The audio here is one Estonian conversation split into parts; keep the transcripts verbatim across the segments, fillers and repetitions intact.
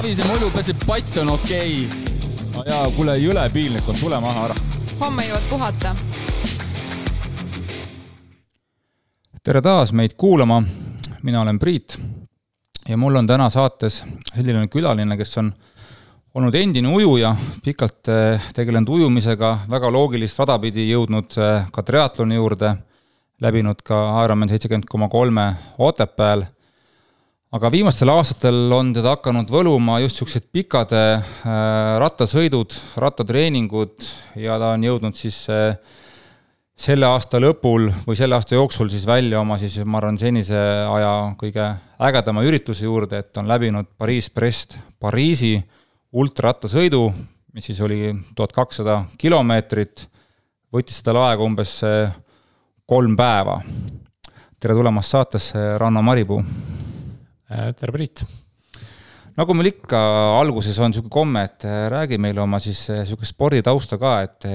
savise mulju pääseb pats on okei. No jaa, kuule, jõle piilnik on, tule maha ära. Homme jõuad puhata. Tere taas meid kuulama. Mina olen Priit ja mul on täna saates selline külaline, kes on olnud endine ujuja, pikalt tegelenud ujumisega, väga loogilist radapidi jõudnud ka triatloni juurde, läbinud ka Ironman seitsekümmend koma kolm Otepääl. Aga viimastel aastatel on teda hakanud võluma just sellised pikade rattasõidud, rattatreeningud ja ta on jõudnud siis selle aasta lõpul või selle aasta jooksul siis välja oma siis, ma arvan, senise aja kõige ägedama ürituse juurde, et on läbinud Pariis-Brest Pariisi ultrarattasõidu, mis siis oli tuhat kakssada kilomeetrit, võttis seda aega umbes kolm päeva. Tere tulemast saatesse, Ranno Maripuu. Tere Priit. Nagu meil ikka alguses on selline komme, et räägi meile oma siis selline sporditausta ka, et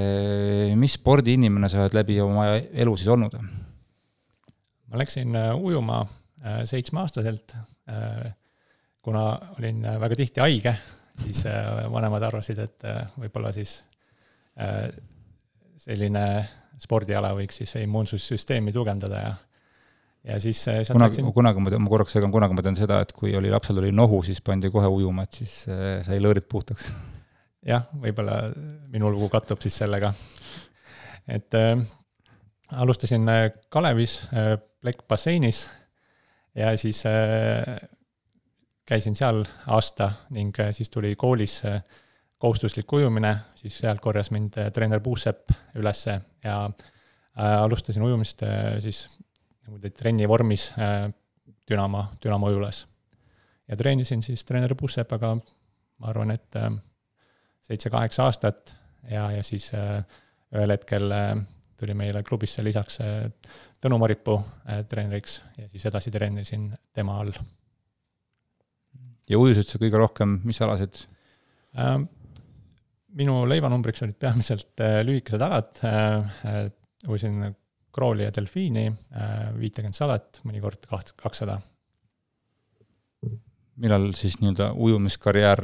mis spordiinimene sa oled läbi oma elu siis olnud? Ma läksin ujuma seitsme aastaselt, kuna olin väga tihti haige, siis vanemad arvasid, et võib-olla siis selline spordiala võiks siis immuunsussüsteemi tugevdada ja ja siis kunagi, läksin... kunagi ma, ma korraks segan, kunagi ma tean seda, et kui oli lapsel oli nohu, siis pandi kohe ujuma, et siis sai lõõrid puhtaks. Jah, võib-olla minu lugu kattub siis sellega. Et äh, alustasin Kalevis äh, Plek basseinis ja siis äh, käisin seal aasta ning äh, siis tuli koolis äh, kohustuslik ujumine, siis seal korjas mind äh, treener Puusepp ülesse ja äh, alustasin ujumist äh, siis trenni vormis Dünamo, Dünamo ujulas. Ja treenisin siis treener Pussepaga, ma arvan, et seitse-kaheksa aastat ja, ja siis ühel hetkel tuli meile klubisse lisaks Tõnu Maripuu treeneriks ja siis edasi treenisin tema all. Ja ujusid sa kõige rohkem, mis alasid? Minu leivanumbriks olid peamiselt lühikesed alad, ujusin krooli ja delfiini, viitekümmet sadat, mõnikord kakssada. Millal siis nii-öelda ujumiskarjäär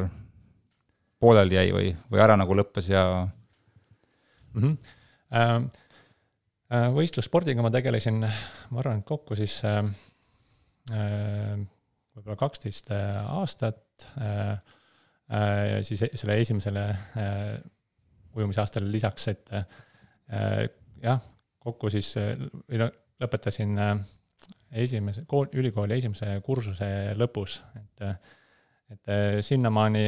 poolel jäi või, või ära nagu lõppes ja... Mm-hmm. Võistlusspordiga ma tegelesin, ma arvan, kokku siis võib-olla kaksteist aastat ja siis selle esimesele ujumisaastale lisaks, et jah, kokku siis lõpetasin esimese, ülikooli esimese kursuse lõpus, et, et sinnamaani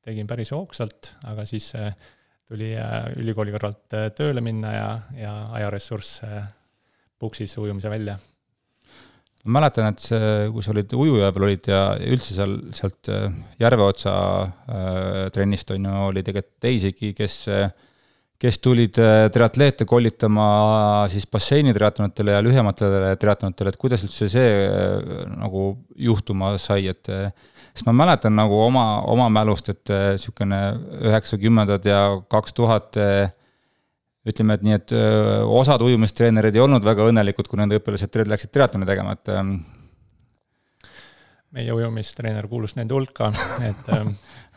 tegin päris hoogsalt, aga siis tuli ülikooli kõrvalt tööle minna ja, ja ajaressurss puksis ujumise välja. Ma mäletan, et see, kui sa olid ujuja peal olid ja üldse seal, sealt Järveotsa trennist on, oli tegelikult teisigi, kes kes tulid triatleete kollitama siis basseini triatlonitele ja lühematele triatlonitele, et kuidas üldse see nagu juhtuma sai, et sest ma mäletan nagu oma, oma mälust, et sükene üheksakümnendad ja kaks tuhat ütleme, et nii, et osad ujumistreenerid ei olnud väga õnnelikud, kui nende õpilased läksid triatloni tegema, et meie ujumistreener kuulus nende hulka, et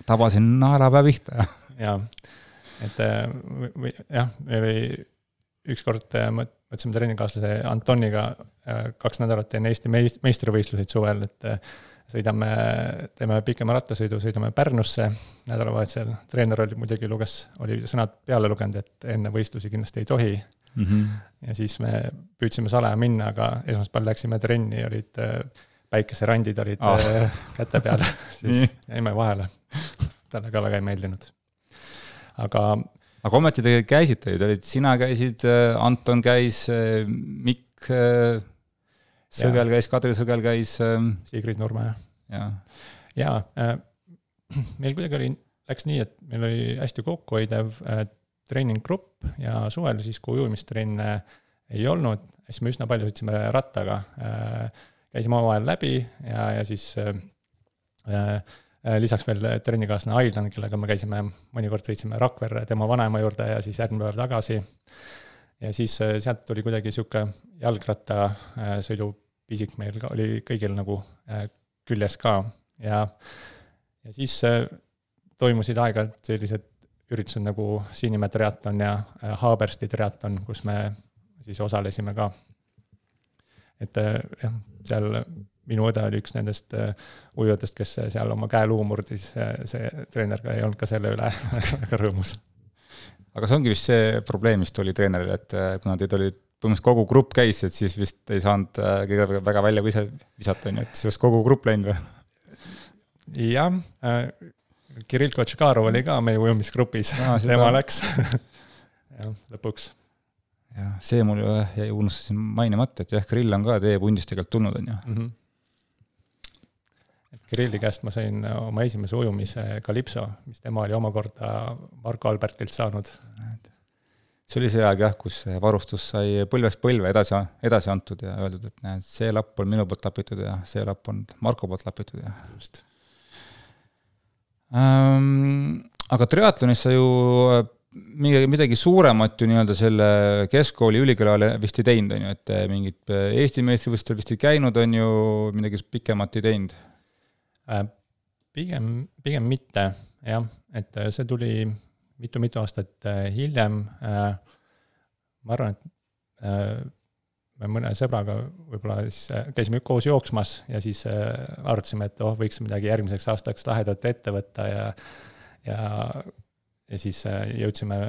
tabasin naelapää pihta. Jaa. Et või, jah, me oli ükskord mõtlesime treeningkaaslase Antoniga kaks nädalat enne Eesti meistrivõistluseid suvel, et sõidame, teeme pikema rattasõidu, sõidame Pärnusse nädalavahetusel. Treener oli muidugi luges, oli sõnad peale lugenud, et enne võistlusi kindlasti ei tohi. Mm-hmm. Ja siis me püüdsime salaja minna, aga esmaspäeval läksime trenni, olid päikeserandid olid ah. käte peale, siis jäime vahele. Talle ka väga ei meeldinud. Aga, aga ometi te käisite ju, olid, sina käisid, Anton käis, Mikk Sõgel käis, Kadri Sõgel käis. Sigrid Nurme. Ja, ja äh, meil kuidagi oli, läks nii, et meil oli hästi kokkuhoidev äh, treeninggrupp ja suvel siis, kui ujumistrenn ei olnud, siis me üsna palju sõitsime rattaga. Äh, käisime omavahel läbi ja, ja siis äh, lisaks veel trennikaasne Ailan, kellega me käisime, mõnikord sõitsime Rakverre tema vanaema juurde ja siis järgmine päev tagasi. Ja siis sealt tuli kuidagi siuke jalgratta sõidu pisik meil oli kõigil nagu küljes ka. ja, ja siis toimusid aeg-ajalt sellised üritused nagu Sinimäe triatlon ja Haabersti triatlon, kus me siis osalesime ka. Et jah, seal minu õde oli üks nendest ujujatest, kes seal oma käeluu murdis, see treener ka ei olnud ka selle üle väga rõõmus. Aga see ongi vist see probleem, mis tuli treeneril, et kuna teid oli põhimõtteliselt kogu grupp käis, et siis vist ei saanud kõige väga välja või ise visata, et siis kogu grupp läinud või? Jah, Kirill Kotškarov oli ka meie ujumisgrupis, no, tema läks ja, lõpuks. Ja, see mul jäi unustasin mainimata, et jah, Kirill on ka teie pundist tegelikult tulnud, on ju. Mm-hmm. Et Kirilli käest ma sain oma esimese ujumise Kalipso, mis tema oli omakorda Marko Albertilt saanud. See oli see aeg jah, kus varustus sai põlvest põlve edasi, edasi antud ja öeldud, et näed, see lapp on minu poolt lapitud ja see lapp on Marko poolt lapitud ja just. Ähm, aga triatlonis sa ju midagi, midagi suuremat ju nii-öelda selle keskkooli ülikoolale vist ei teinud, on ju, et mingid Eesti meistrivõistlustel vist ei käinud, on ju, midagi pikemat ei teinud? Pigem, pigem mitte, jah, et see tuli mitu-mitu aastat hiljem. Ma arvan, et me mõne sõbraga võib-olla siis käisime koos jooksmas ja siis arvatasime, et oh, võiks midagi järgmiseks aastaks lahedat ette võtta ja, ja, ja siis jõudsime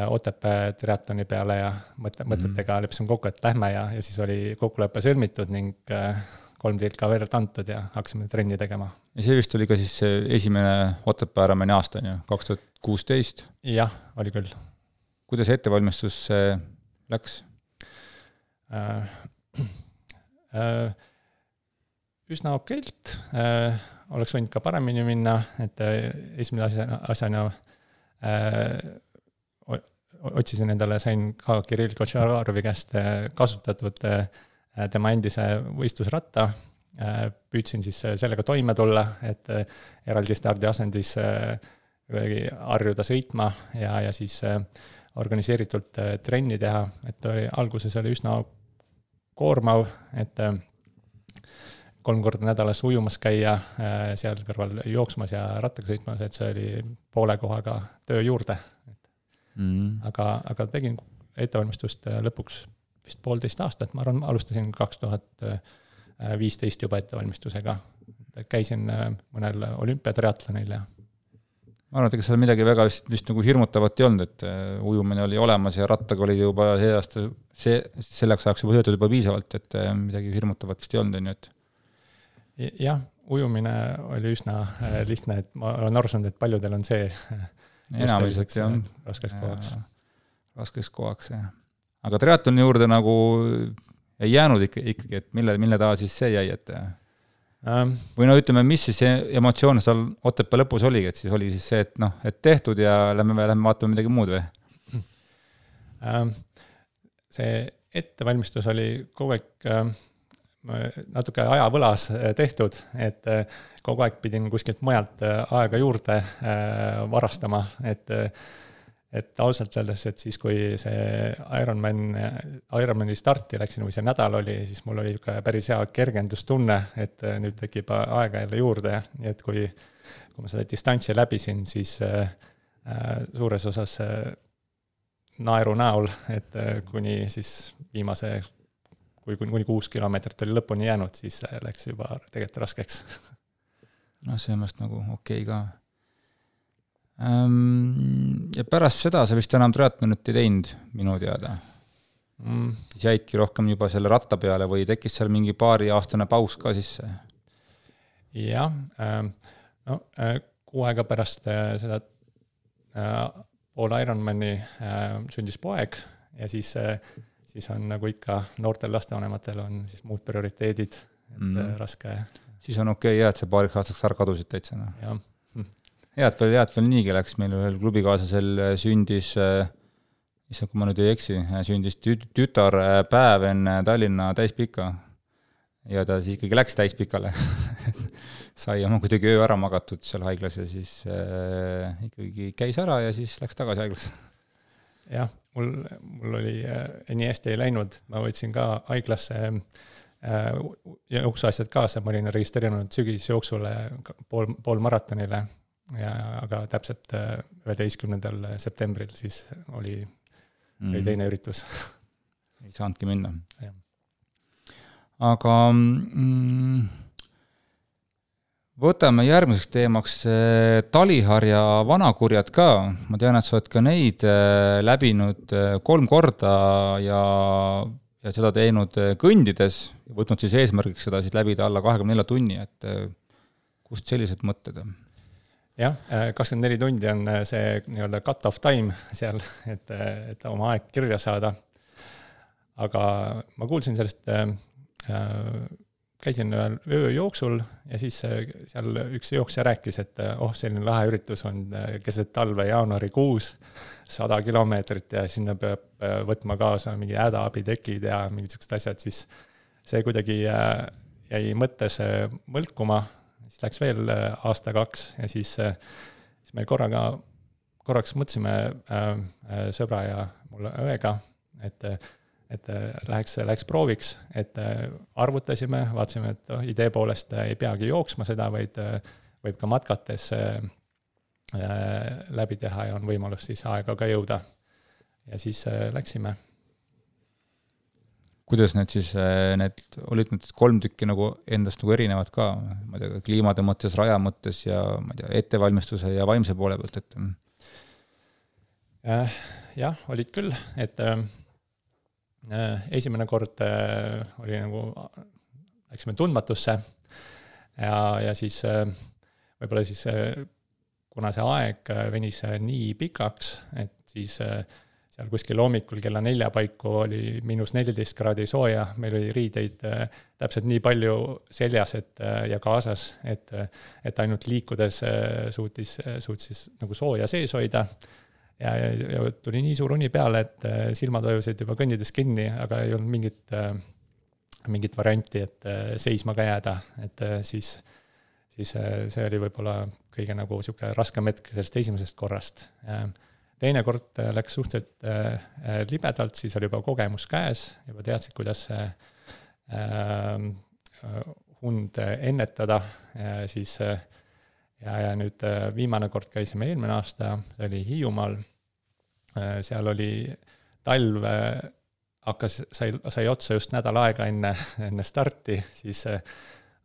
Otepää triatloni peale ja mõt- mõtetega leppisime kokku, et lähme ja, ja siis oli kokkulepe sõlmitud ning kolm tilka verd antud ja hakkasime trenni tegema. Ja see vist oli ka siis esimene Otepää Ironmani aasta, on ju, kaks tuhat kuusteist? Jah, oli küll. Kuidas ettevalmistus läks? Äh, äh, üsna okeilt, äh, oleks võinud ka paremini minna, et äh, esimene asjana, asjana äh, otsisin endale, sain ka Kirill Kotšarovi käest kasutatud äh, tema endise võistlusratta, äh, püüdsin siis sellega toime tulla, et äh, eraldi stardi asendis äh, harjuda sõitma ja, ja siis äh, organiseeritult äh, trenni teha, et oli, alguses oli üsna koormav, et kolm korda nädalas ujumas käia, seal kõrval jooksmas ja rattaga sõitmas, et see oli poole kohaga töö juurde. Mm. Aga, aga tegin ettevalmistust lõpuks vist poolteist aastat, ma arvan, alustasin kaks tuhat viisteist juba ettevalmistusega. Käisin mõnel olümpiatriatlonil ja ma arvan, et ega seal midagi väga vist, vist nagu hirmutavat ei olnud, et ujumine oli olemas ja rattaga oli juba see aasta, see, selleks ajaks juba sõetud juba piisavalt, et midagi hirmutavat vist ei olnud, on ju, et jah, ujumine oli üsna lihtne, et ma olen aru saanud, et paljudel on see enamliseks jah, raskeks kohaks. Raskeks kohaks, jah. Aga triatloni juurde nagu ei jäänud ikkagi, et mille, mille taha siis see jäi, et Um, või no ütleme, mis siis see emotsioon seal Otepää lõpus oli, et siis oli siis see, et noh, et tehtud ja lähme, lähme vaatame midagi muud või? Um, see ettevalmistus oli kogu aeg um, natuke ajavõlas tehtud, et uh, kogu aeg pidin kuskilt mujalt uh, aega juurde uh, varastama, et uh, et ausalt öeldes, et siis kui see Ironman, Ironmani starti läksin või see nädal oli, siis mul oli päris hea kergendustunne, et nüüd tekib aega jälle juurde, nii et kui, kui ma seda distantsi läbisin, siis äh, suures osas äh, naeru näol, et äh, kuni siis viimase, kui kuni kuus kilomeetrit oli lõpuni jäänud, siis äh, läks juba tegelikult raskeks. No see on vast nagu okei okay ka. Ja pärast seda sa vist enam triatlonit ei teinud minu teada. Mm. Siis jäidki rohkem juba selle ratta peale või tekkis seal mingi paari aastane paus ka sisse? Jah, no kuu aega pärast seda pool Ironmani sündis poeg ja siis, siis on nagu ikka noortel lastevanematel on siis muud prioriteedid, et mm. raske. Siis on okei, okay, et see paariks aastaks ära kadusid täitsa. No. Jah. Head veel, head veel niigi läks, meil ühel klubikaaslasel sündis, issand, kui ma nüüd ei eksi, sündis tütar päev enne Tallinna täispika ja ta siis ikkagi läks täispikale. Sai oma kuidagi öö ära magatud seal haiglas ja siis äh, ikkagi käis ära ja siis läks tagasi haiglas. Jah, mul, mul oli äh, nii hästi ei läinud, ma võtsin ka haiglasse jooksuasjad kaasa, ma olin registreerinud sügisjooksule pool, pool maratonile, ja, aga täpselt üheteistkümnendal septembril siis oli, mm. oli teine üritus. Ei saanudki minna. Ja. Aga mm, võtame järgmiseks teemaks Taliharja vanakurjad ka. Ma tean, et sa oled ka neid läbinud kolm korda ja, ja seda teinud kõndides, võtnud siis eesmärgiks seda siis läbida alla kahekümne nelja tunni, et kust sellised mõtted? Jah, kakskümmend neli tundi on see nii-öelda cut-off time seal, et, et oma aeg kirja saada. Aga ma kuulsin sellest, käisin ühel ööjooksul ja siis seal üks jooksja rääkis, et oh, selline lahe üritus on keset talve jaanuarikuus, sada kilomeetrit ja sinna peab võtma kaasa mingi hädaabitekid ja mingid sellised asjad, siis see kuidagi jäi mõttes mõlkuma, siis läks veel aasta kaks ja siis, siis me korraga, korraks mõtlesime sõbra ja mulle õega, et et läheks, läheks prooviks, et arvutasime, vaatasime, et oh, idee poolest ei peagi jooksma seda, vaid võib ka matkates läbi teha ja on võimalus siis aega ka jõuda. Ja siis läksime. Kuidas need siis, need olid need kolm tükki nagu endast nagu erinevad ka, ma ei tea, kliimade mõttes, raja mõttes ja ma ei tea, ettevalmistuse ja vaimse poole pealt, et? Jah, olid küll, et esimene kord oli nagu, läksime tundmatusse ja, ja siis võib-olla siis, kuna see aeg venis nii pikaks, et siis seal kuskil hommikul kella nelja paiku oli miinus neliteist kraadi sooja, meil oli riideid täpselt nii palju seljas et, ja kaasas, et, et ainult liikudes suutis, suutis nagu sooja sees hoida. Ja, ja, ja tuli nii suur uni peale, et silmad vajusid juba kõndides kinni, aga ei olnud mingit, mingit varianti, et seisma ka jääda. Et siis, siis see oli võib-olla kõige nagu siuke raskem hetk sellest esimesest korrast. Teine kord läks suhteliselt libedalt, siis oli juba kogemus käes, juba teadsid, kuidas hund ennetada. Siis Ja, ja nüüd viimane kord käisime eelmine aasta, see oli Hiiumaal, seal oli talv, hakkas, sai, sai otsa just nädal aega enne, enne starti, siis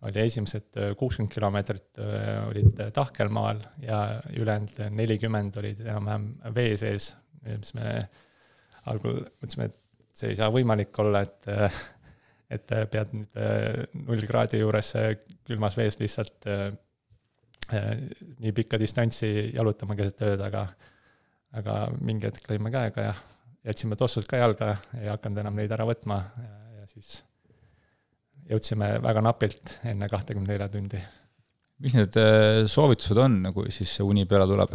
oli esimesed kuuskümmend kilomeetrit olid tahkelmaal ja ülejäänud nelikümmend olid enam-vähem vee sees, mis me algul mõtlesime, et see ei saa võimalik olla, et, et pead nüüd null kraadi juures külmas vees lihtsalt nii pikka distantsi jalutama keset ööd, aga, aga mingi hetk lõime käega ja jätsime tossud ka jalga ja ei hakanud enam neid ära võtma ja, ja siis jõudsime väga napilt enne kakskümmend neli tundi. Mis need soovitused on, kui siis see uni peale tuleb?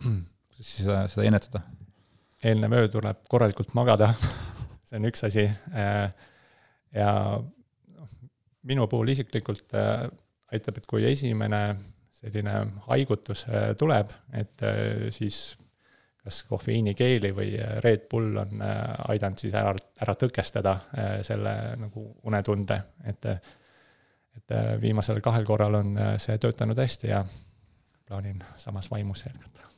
Kuidas siis seda, seda ennetada? Eelnev öö tuleb korralikult magada, see on üks asi ja minu puhul isiklikult aitab, et kui esimene selline haigutus tuleb, et siis kas kofeiinikeeli või Red Bull on aidanud siis ära, ära tõkestada selle nagu unetunde, et, et viimasel kahel korral on see töötanud hästi ja plaanin samas vaimus jätkata.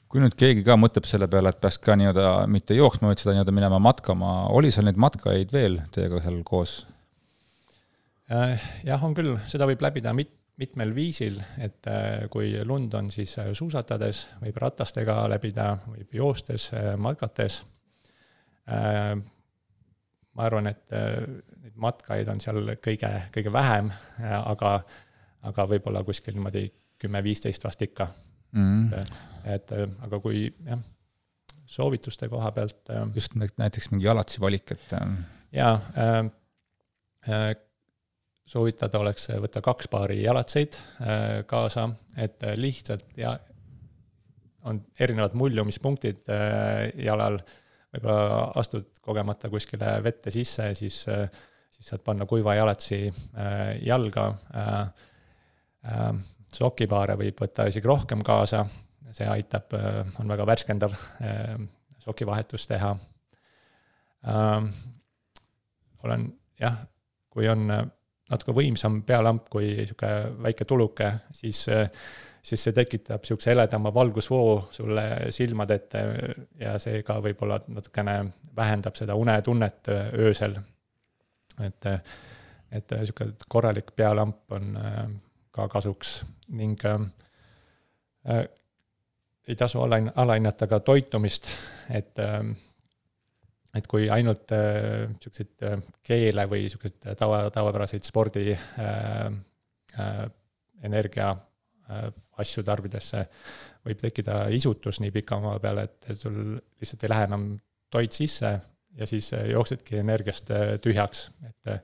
Kui nüüd keegi ka mõtleb selle peale, et peaks ka nii-öelda mitte jooksma, vaid seda nii-öelda minema matkama, oli seal neid matkaid veel teiega seal koos? Jah, on küll, seda võib läbida mit, mitmel viisil, et kui lund on, siis suusatades, võib ratastega läbida, võib joostes, matkates. Ma arvan, et neid matkaid on seal kõige, kõige vähem, aga, aga võib-olla kuskil niimoodi kümme viisteist vast ikka. Mm. Et, et, aga kui jah, soovituste koha pealt... Just näiteks mingi jalatsi valik, et... Jaa, äh, soovitada oleks võtta kaks paari jalatseid kaasa, et lihtsalt ja on erinevad muljumispunktid jalal, võib-olla astud kogemata kuskile vette sisse, siis, siis saad panna kuiva jalatsi jalga. Sokipaare võib võtta isegi rohkem kaasa, see aitab, on väga värskendav sokivahetus teha. Olen jah, kui on natuke võimsam pealamp kui siuke väike tuluke, siis, siis see tekitab siukse heledama valgusvoo sulle silmad ette ja see ka võib-olla natukene vähendab seda unetunnet öösel. Et, et siuke korralik pealamp on ka kasuks ning äh, ei tasu alahinnata ka toitumist, et et kui ainult äh, siukseid äh, keele või siukseid tava, tavapäraseid spordi äh, äh, energia äh, asju tarbidesse võib tekkida isutus nii pika maa peale, et sul lihtsalt ei lähe enam toit sisse ja siis äh, jooksedki energiast äh, tühjaks, et äh,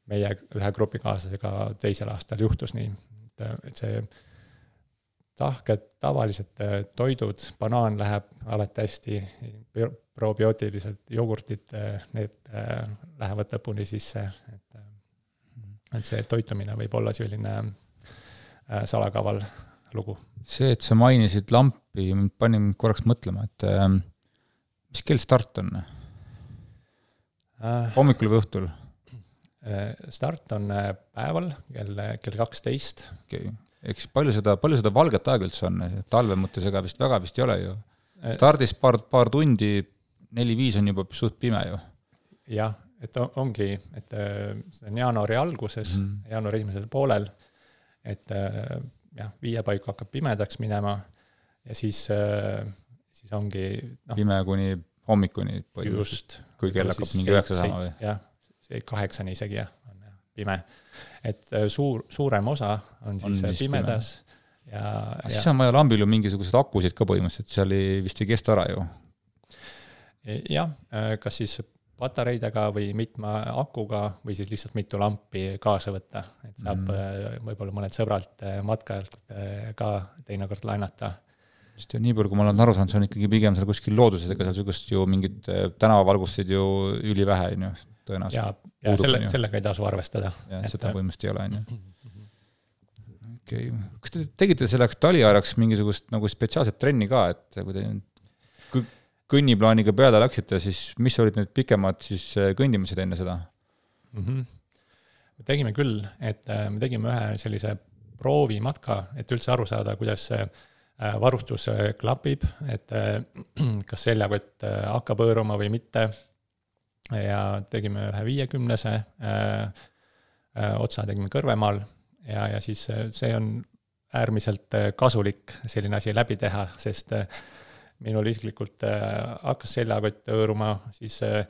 meie ühe grupikaaslasega teisel aastal juhtus nii, et, et see tahked tavalised toidud, banaan läheb alati hästi, probiootilised jogurtid, need lähevad lõpuni sisse, et, et see toitumine võib olla selline salakaval lugu. See, et sa mainisid lampi, pani mind korraks mõtlema, et mis kell start on? Hommikul või õhtul? Start on päeval kell, kell kaksteist. Okei. Okay. Eks palju seda, palju seda valget aega üldse on, talve mõttes ega vist väga vist ei ole ju. Stardis paar, paar tundi, neli-viis on juba suht pime ju. Jah, et ongi, et see on jaanuari alguses, mm. jaanuari esimesel poolel, et jah, viie paiku hakkab pimedaks minema ja siis, siis ongi no, pime kuni hommikuni just, kui kell hakkab mingi üheksa saama või? Jah, see kaheksani isegi jah, on jah, pime. Et suur, suurem osa on siis on pimedas. Ja, ja siis on vaja lambil ju mingisugused akusid ka põhimõtteliselt, seal ei, vist ei kesta ära ju. Jah, kas siis patareidega või mitme akuga või siis lihtsalt mitu lampi kaasa võtta. Et saab mm. võib-olla mõned sõbralt matkajalt ka teinekord lainata. Sest ju nii palju, kui ma olen aru saanud, see on ikkagi pigem seal kuskil looduses, ega seal sugust ju mingid tänavavalgusid ju üli vähe, ju. Ja, ja selle, sellega ei tasu arvestada. Ja et seda põhimõtteliselt ei ole, on. Okay. Kas te tegite selleks taliajaks mingisugust nagu spetsiaalset trenni ka, et kui te kõnniplaaniga peale läksite, siis mis olid need pikemad siis kõndimised enne seda? Mm-hmm. Me tegime küll, et me tegime ühe sellise proovimatka, et üldse aru saada, kuidas varustus klapib, et kas seljakott hakkab hõõruma või mitte. Ja tegime ühe viiekümnese äh, äh, otsa tegime Kõrvemaal ja, ja siis see on äärmiselt kasulik selline asi läbi teha, sest äh, minul isiklikult äh, hakkas seljakott hõõruma, siis äh,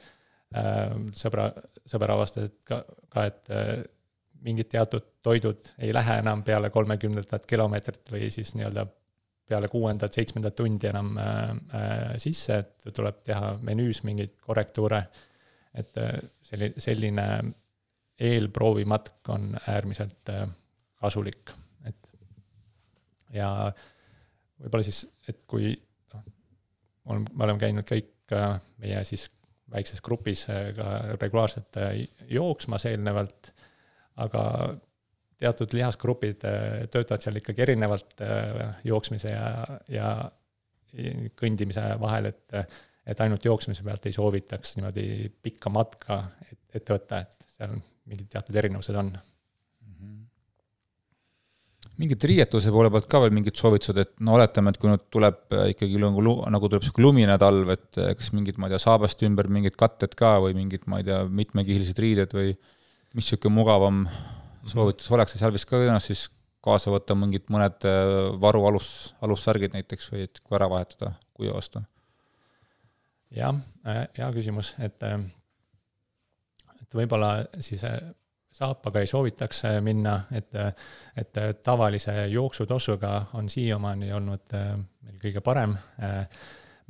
sõbra, sõbra avastas ka, ka, et äh, mingid teatud toidud ei lähe enam peale kolmekümnendat kilomeetrit või siis nii-öelda peale kuuendat, seitsmendat tundi enam äh, äh, sisse, et tuleb teha menüüs mingeid korrektuure. Et selline eelproovimatk on äärmiselt kasulik. Et ja võib-olla siis, et kui no, me oleme käinud kõik meie siis väikses grupis ka regulaarselt jooksmas eelnevalt, aga teatud lihasgrupid töötavad seal ikkagi erinevalt jooksmise ja, ja kõndimise vahel, et et ainult jooksmise pealt ei soovitaks niimoodi pikka matka ette võtta, et seal mingid teatud erinevused on. Mm-hmm. Mingid riietuse poole pealt ka veel mingid soovitused, et no oletame, et kui nüüd tuleb ikkagi nagu, nagu tuleb lumine talv, et kas mingid, ma ei tea, saabast ümber mingid katted ka või mingid, ma ei tea, mitmekihilised riided või mis siuke mugavam soovitus mm-hmm. oleks, seal vist ka ennast siis kaasa võtta mingid mõned varu alus, alussärgid näiteks või et kui ära vahetada kuiva vastu. Jah, hea küsimus, et, et võib-olla siis saapaga ei soovitaks minna, et, et tavalise jooksutossuga on siiamaani olnud meil kõige parem.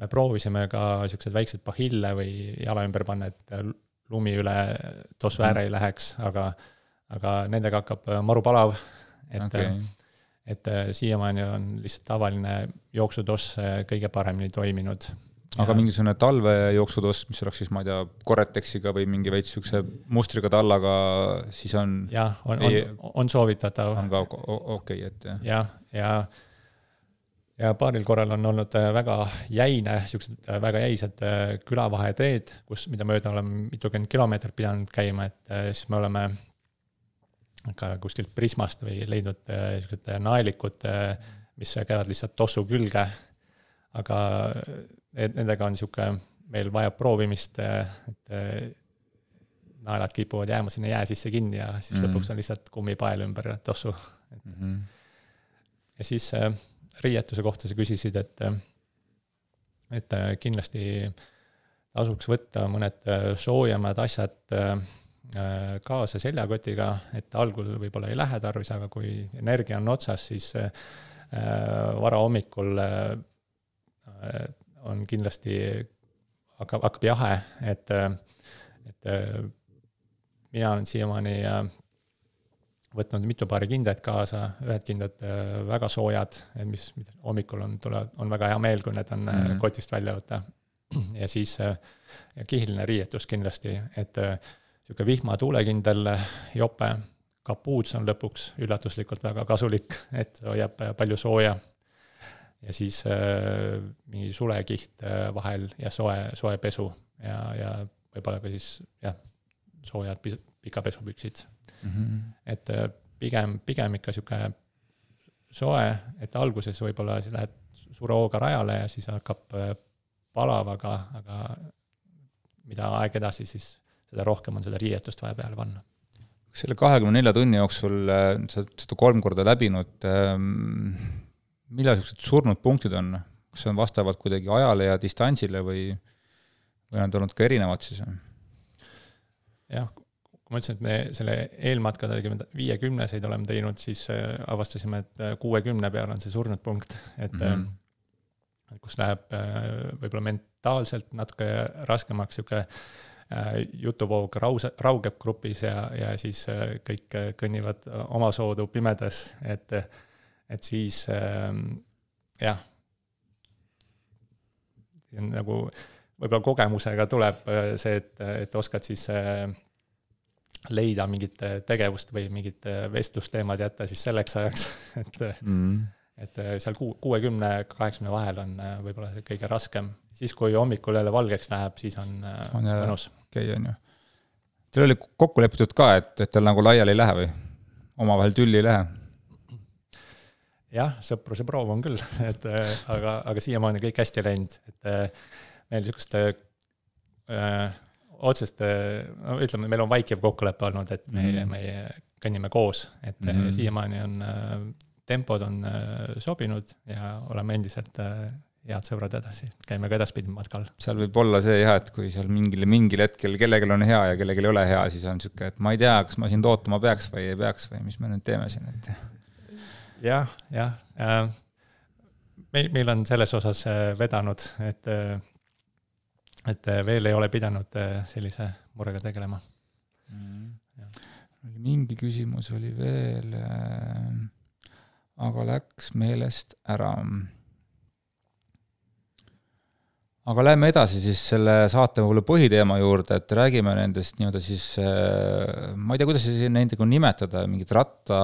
Me proovisime ka sellised väiksed pahille või jala ümber panna, et lumi üle tossu ääre ei läheks, aga, aga nendega hakkab maru palav, et, okay. et siiamaani on lihtsalt tavaline jooksutoss kõige paremini toiminud. Aga mingisugune talvejooksutoss, mis oleks siis, ma ei tea, Corretexiga või mingi veits sükse mustriga tallaga, siis on... Jah, on, on, on soovitatav. On ka okei, okay, et jah. Ja, ja, ja paaril korral on olnud väga jäine, siuksed väga jäised külavaheteed, kus, mida mööda oleme mitukümmend kilomeetrit pidanud käima, et siis me oleme ka kuskilt Prismast või leidnud siuksed naelikud, mis käivad lihtsalt tossu külge, aga nendega on siuke, meil vajab proovimist, et naelad kipuvad jääma sinna jää sisse kinni ja siis mm-hmm. lõpuks on lihtsalt kummipael ümber tossu. Mm-hmm. Ja siis riietuse kohta sa küsisid, et, et kindlasti tasuks võtta mõned soojemad asjad kaasa seljakotiga, et algul võib-olla ei lähe tarvis, aga kui energia on otsas, siis vara hommikul on kindlasti, hakkab, hakkab jahe, et, et mina olen siiamaani võtnud mitu paari kindaid kaasa, ühed kindad väga soojad, mis hommikul on, tuleb, on väga hea meel, kui need on mm-hmm. kotist välja võtta. Ja siis ja kihiline riietus kindlasti, et siuke vihma tuulekindel jope, kapuuts on lõpuks üllatuslikult väga kasulik, et hoiab palju sooja. Ja siis mingi sulekiht vahel ja soe, soe pesu ja, ja võib-olla ka siis jah, soojad pika pesupüksid. Mm-hmm. Et pigem, pigem ikka siuke soe, et alguses võib-olla lähed suure hooga rajale ja siis hakkab palav, aga, aga mida aeg edasi, siis seda rohkem on seda riietust vaja peale panna. Selle kahekümne nelja tunni jooksul sa seda kolm korda läbinud, millal sellised surnud punktid on? Kas see on vastavalt kuidagi ajale ja distantsile või, või on olnud ka erinevad siis? Jah, kui ma ütlesin, et me selle eelmatka viiekümneseid oleme teinud, siis avastasime, et kuuekümne peal on see surnud punkt, et mm-hmm. kus läheb võib-olla mentaalselt natuke raskemaks siuke jutuvoog rause, raugeb grupis ja, ja siis kõik kõnnivad oma soodu pimedas, et, et siis jah, nagu võib-olla kogemusega tuleb see, et, et oskad siis leida mingit tegevust või mingit vestlusteemad jätta siis selleks ajaks, et, mm. et seal kuuekümne kaheksakümne vahel on võib-olla see kõige raskem. Siis, kui hommikul jälle valgeks läheb, siis on, on mõnus. Okei, on ju. Teil oli kokku lepitud ka, et, et teil nagu laiali ei lähe või? Omavahel tülli ei lähe? Jah, sõpruse proov on küll, et, aga, aga siiamaani kõik hästi läinud, et meil niisugust äh, otsest, no ütleme, meil on vaikiv kokkulepe olnud, et me, mm. me kõnnime koos, et mm-hmm. siiamaani on äh, tempod on äh, sobinud ja oleme endiselt äh, head sõbrad edasi, käime ka edaspidi matkal. Seal võib olla see jah, et kui seal mingil, mingil hetkel kellegil on hea ja kellegil ei ole hea, siis on niisugune, et ma ei tea, kas ma siin ootama peaks või ei peaks või mis me nüüd teeme siin, et jah, jah äh, meil, meil on selles osas vedanud, et et veel ei ole pidanud sellise murega tegelema. Mm. Mingi küsimus oli veel, aga läks meelest ära. Aga läheme edasi siis selle saate võib-olla põhiteema juurde, et räägime nendest nii-öelda siis, ma ei tea, kuidas siis nendega nimetada, mingid ratta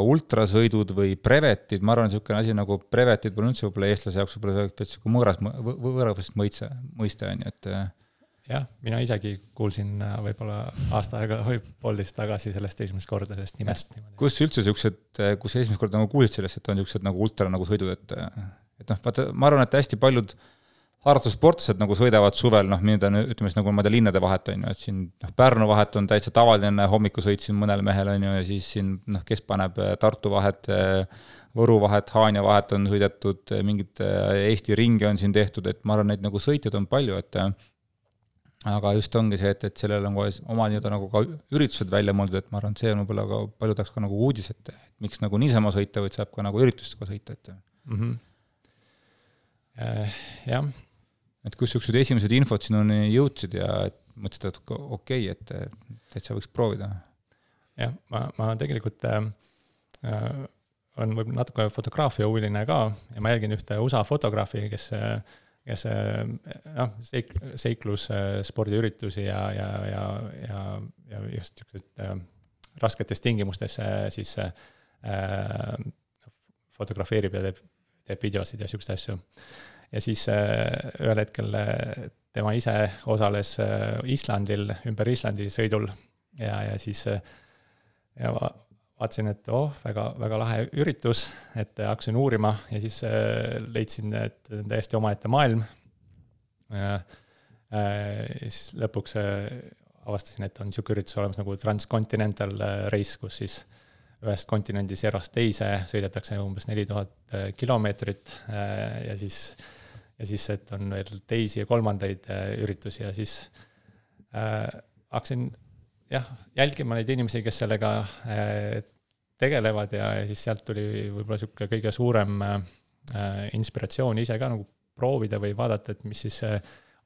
ultrasõidud või brevetid, ma arvan, niisugune asi nagu brevetid pole üldse võib-olla eestlase jaoks võib-olla mõõras, võõravast mõiste, mõiste on, et jah, mina isegi kuulsin võib-olla aasta aega või poolteist tagasi sellest esimest korda sellest nimest. Kus üldse siuksed, kus esimest korda nagu kuulsid sellest, et on niisugused nagu ultra nagu sõidud, et, et noh, vaata, ma arvan, et hästi paljud harrastussportlased nagu sõidavad suvel, noh, mida ütleme siis nagu ma tea linnade vahet on ju, et siin noh, Pärnu vahet on täitsa tavaline hommikusõit siin mõnel mehel on ju, ja siis siin noh, kes paneb Tartu vahet, Võru vahet, Haanja vahet on sõidetud, mingid Eesti ringe on siin tehtud, et ma arvan, neid nagu sõitjad on palju, et aga just ongi see, et, et sellel on oma nii-öelda nagu ka üritused välja mõeldud, et ma arvan, et see on võib-olla ka palju tahaks ka nagu uudis, et miks nagu niisama sõita, või saab ka nagu üritustega sõita, et mm-hmm. äh, jah. Et kus niisugused esimesed infod sinuni jõudsid ja et mõtlesid, et okei, et täitsa võiks proovida? Jah, ma, ma tegelikult äh, on võib natuke fotograafia huviline ka ja ma jälgin ühte U S A fotograafi, kes, kes noh, seik, seiklus spordiüritusi ja, ja, ja, ja, ja just niisugused äh, rasketes tingimustes siis äh, fotografeerib ja teeb teeb videosid ja siukseid asju. Ja siis ühel hetkel tema ise osales Islandil, ümber Islandi sõidul ja, ja siis ja vaatasin, et oh, väga, väga lahe üritus, et hakkasin uurima ja siis leidsin, et täiesti omaette maailm. Ja, ja siis lõpuks avastasin, et on siuke üritus olemas nagu Transcontinental Race, kus siis ühest kontinendis erast teise sõidetakse umbes neli tuhat kilomeetrit ja siis ja siis, et on veel teisi ja kolmandaid üritusi ja siis äh, hakkasin jah, jälgima neid inimesi, kes sellega äh, tegelevad ja, ja siis sealt tuli võib-olla siuke kõige suurem äh, inspiratsioon ise ka nagu proovida või vaadata, et mis siis äh,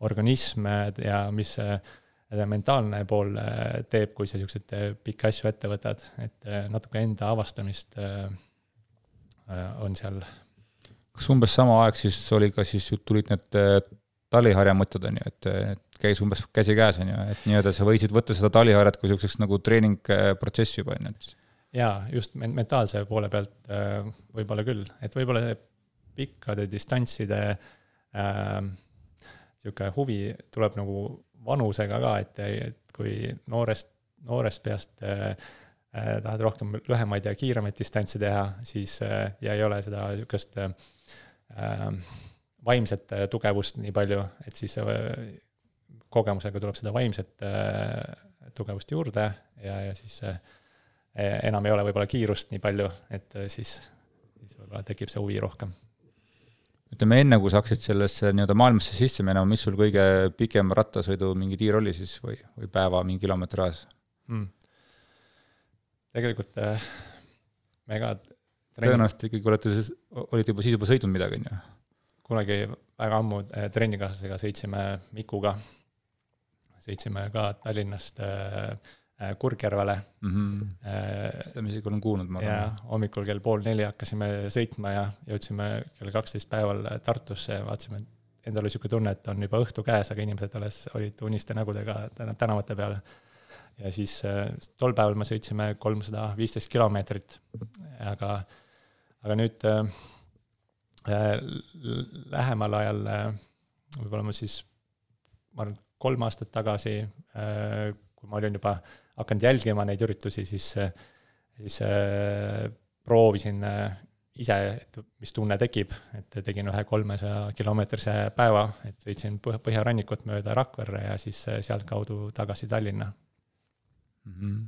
organism ja mis äh, mentaalne pool äh, teeb, kui sa siukseid äh, pikki asju ette võtad, et äh, natuke enda avastamist äh, äh, on seal. Kas umbes sama aeg siis oli ka siis tulid need taliharja mõtted, on ju, et, et käis umbes käsi käes, on ju, et nii-öelda sa võisid võtta seda taliharjat kui selliseks nagu treeningprotsessi juba, on ju. Jaa, just mentaalse poole pealt võib-olla küll, et võib-olla pikkade distantside äh, siuke huvi tuleb nagu vanusega ka, et, et kui noorest, noorest peast äh, tahad rohkem lühemaid ja kiiremaid distantsi teha, siis äh, ja ei ole seda siukest äh, vaimset tugevust nii palju, et siis kogemusega tuleb seda vaimset tugevust juurde ja, ja siis enam ei ole võib-olla kiirust nii palju, et siis, siis võib-olla tekib see huvi rohkem. Ütleme enne, kui sa hakkasid sellesse nii-öelda maailmasse sisse minema, mis sul kõige pikem rattasõidu mingi tiir oli siis või, või päeva mingi kilomeetri ajas? Hmm. Tegelikult mega tõenäoliselt ikkagi olete, olite juba siis juba sõidnud midagi, on ju? Kunagi väga ammu trennikaaslasega sõitsime Mikuga, sõitsime ka Tallinnast Kurgjärvele. Mm-hmm. Seda me isegi olen kuulnud, ma arvan. Ja hommikul kell pool neli hakkasime sõitma ja jõudsime kell kaksteist päeval Tartusse ja vaatasime, et endal oli siuke tunne, et on juba õhtu käes, aga inimesed alles olid uniste nägudega tänavate peale. Ja siis tol päeval me sõitsime kolmsada viisteist kilomeetrit, aga aga nüüd äh, lähemal ajal äh, võib-olla ma siis ma arvan, kolm aastat tagasi äh, kui ma olin juba hakanud jälgima neid üritusi, siis, siis äh, proovisin äh, ise, et mis tunne tekib, et tegin ühe kolmesaja kilomeetrise päeva, et sõitsin põhjarannikut mööda Rakverre ja siis sealt kaudu tagasi Tallinna. Mm-hmm.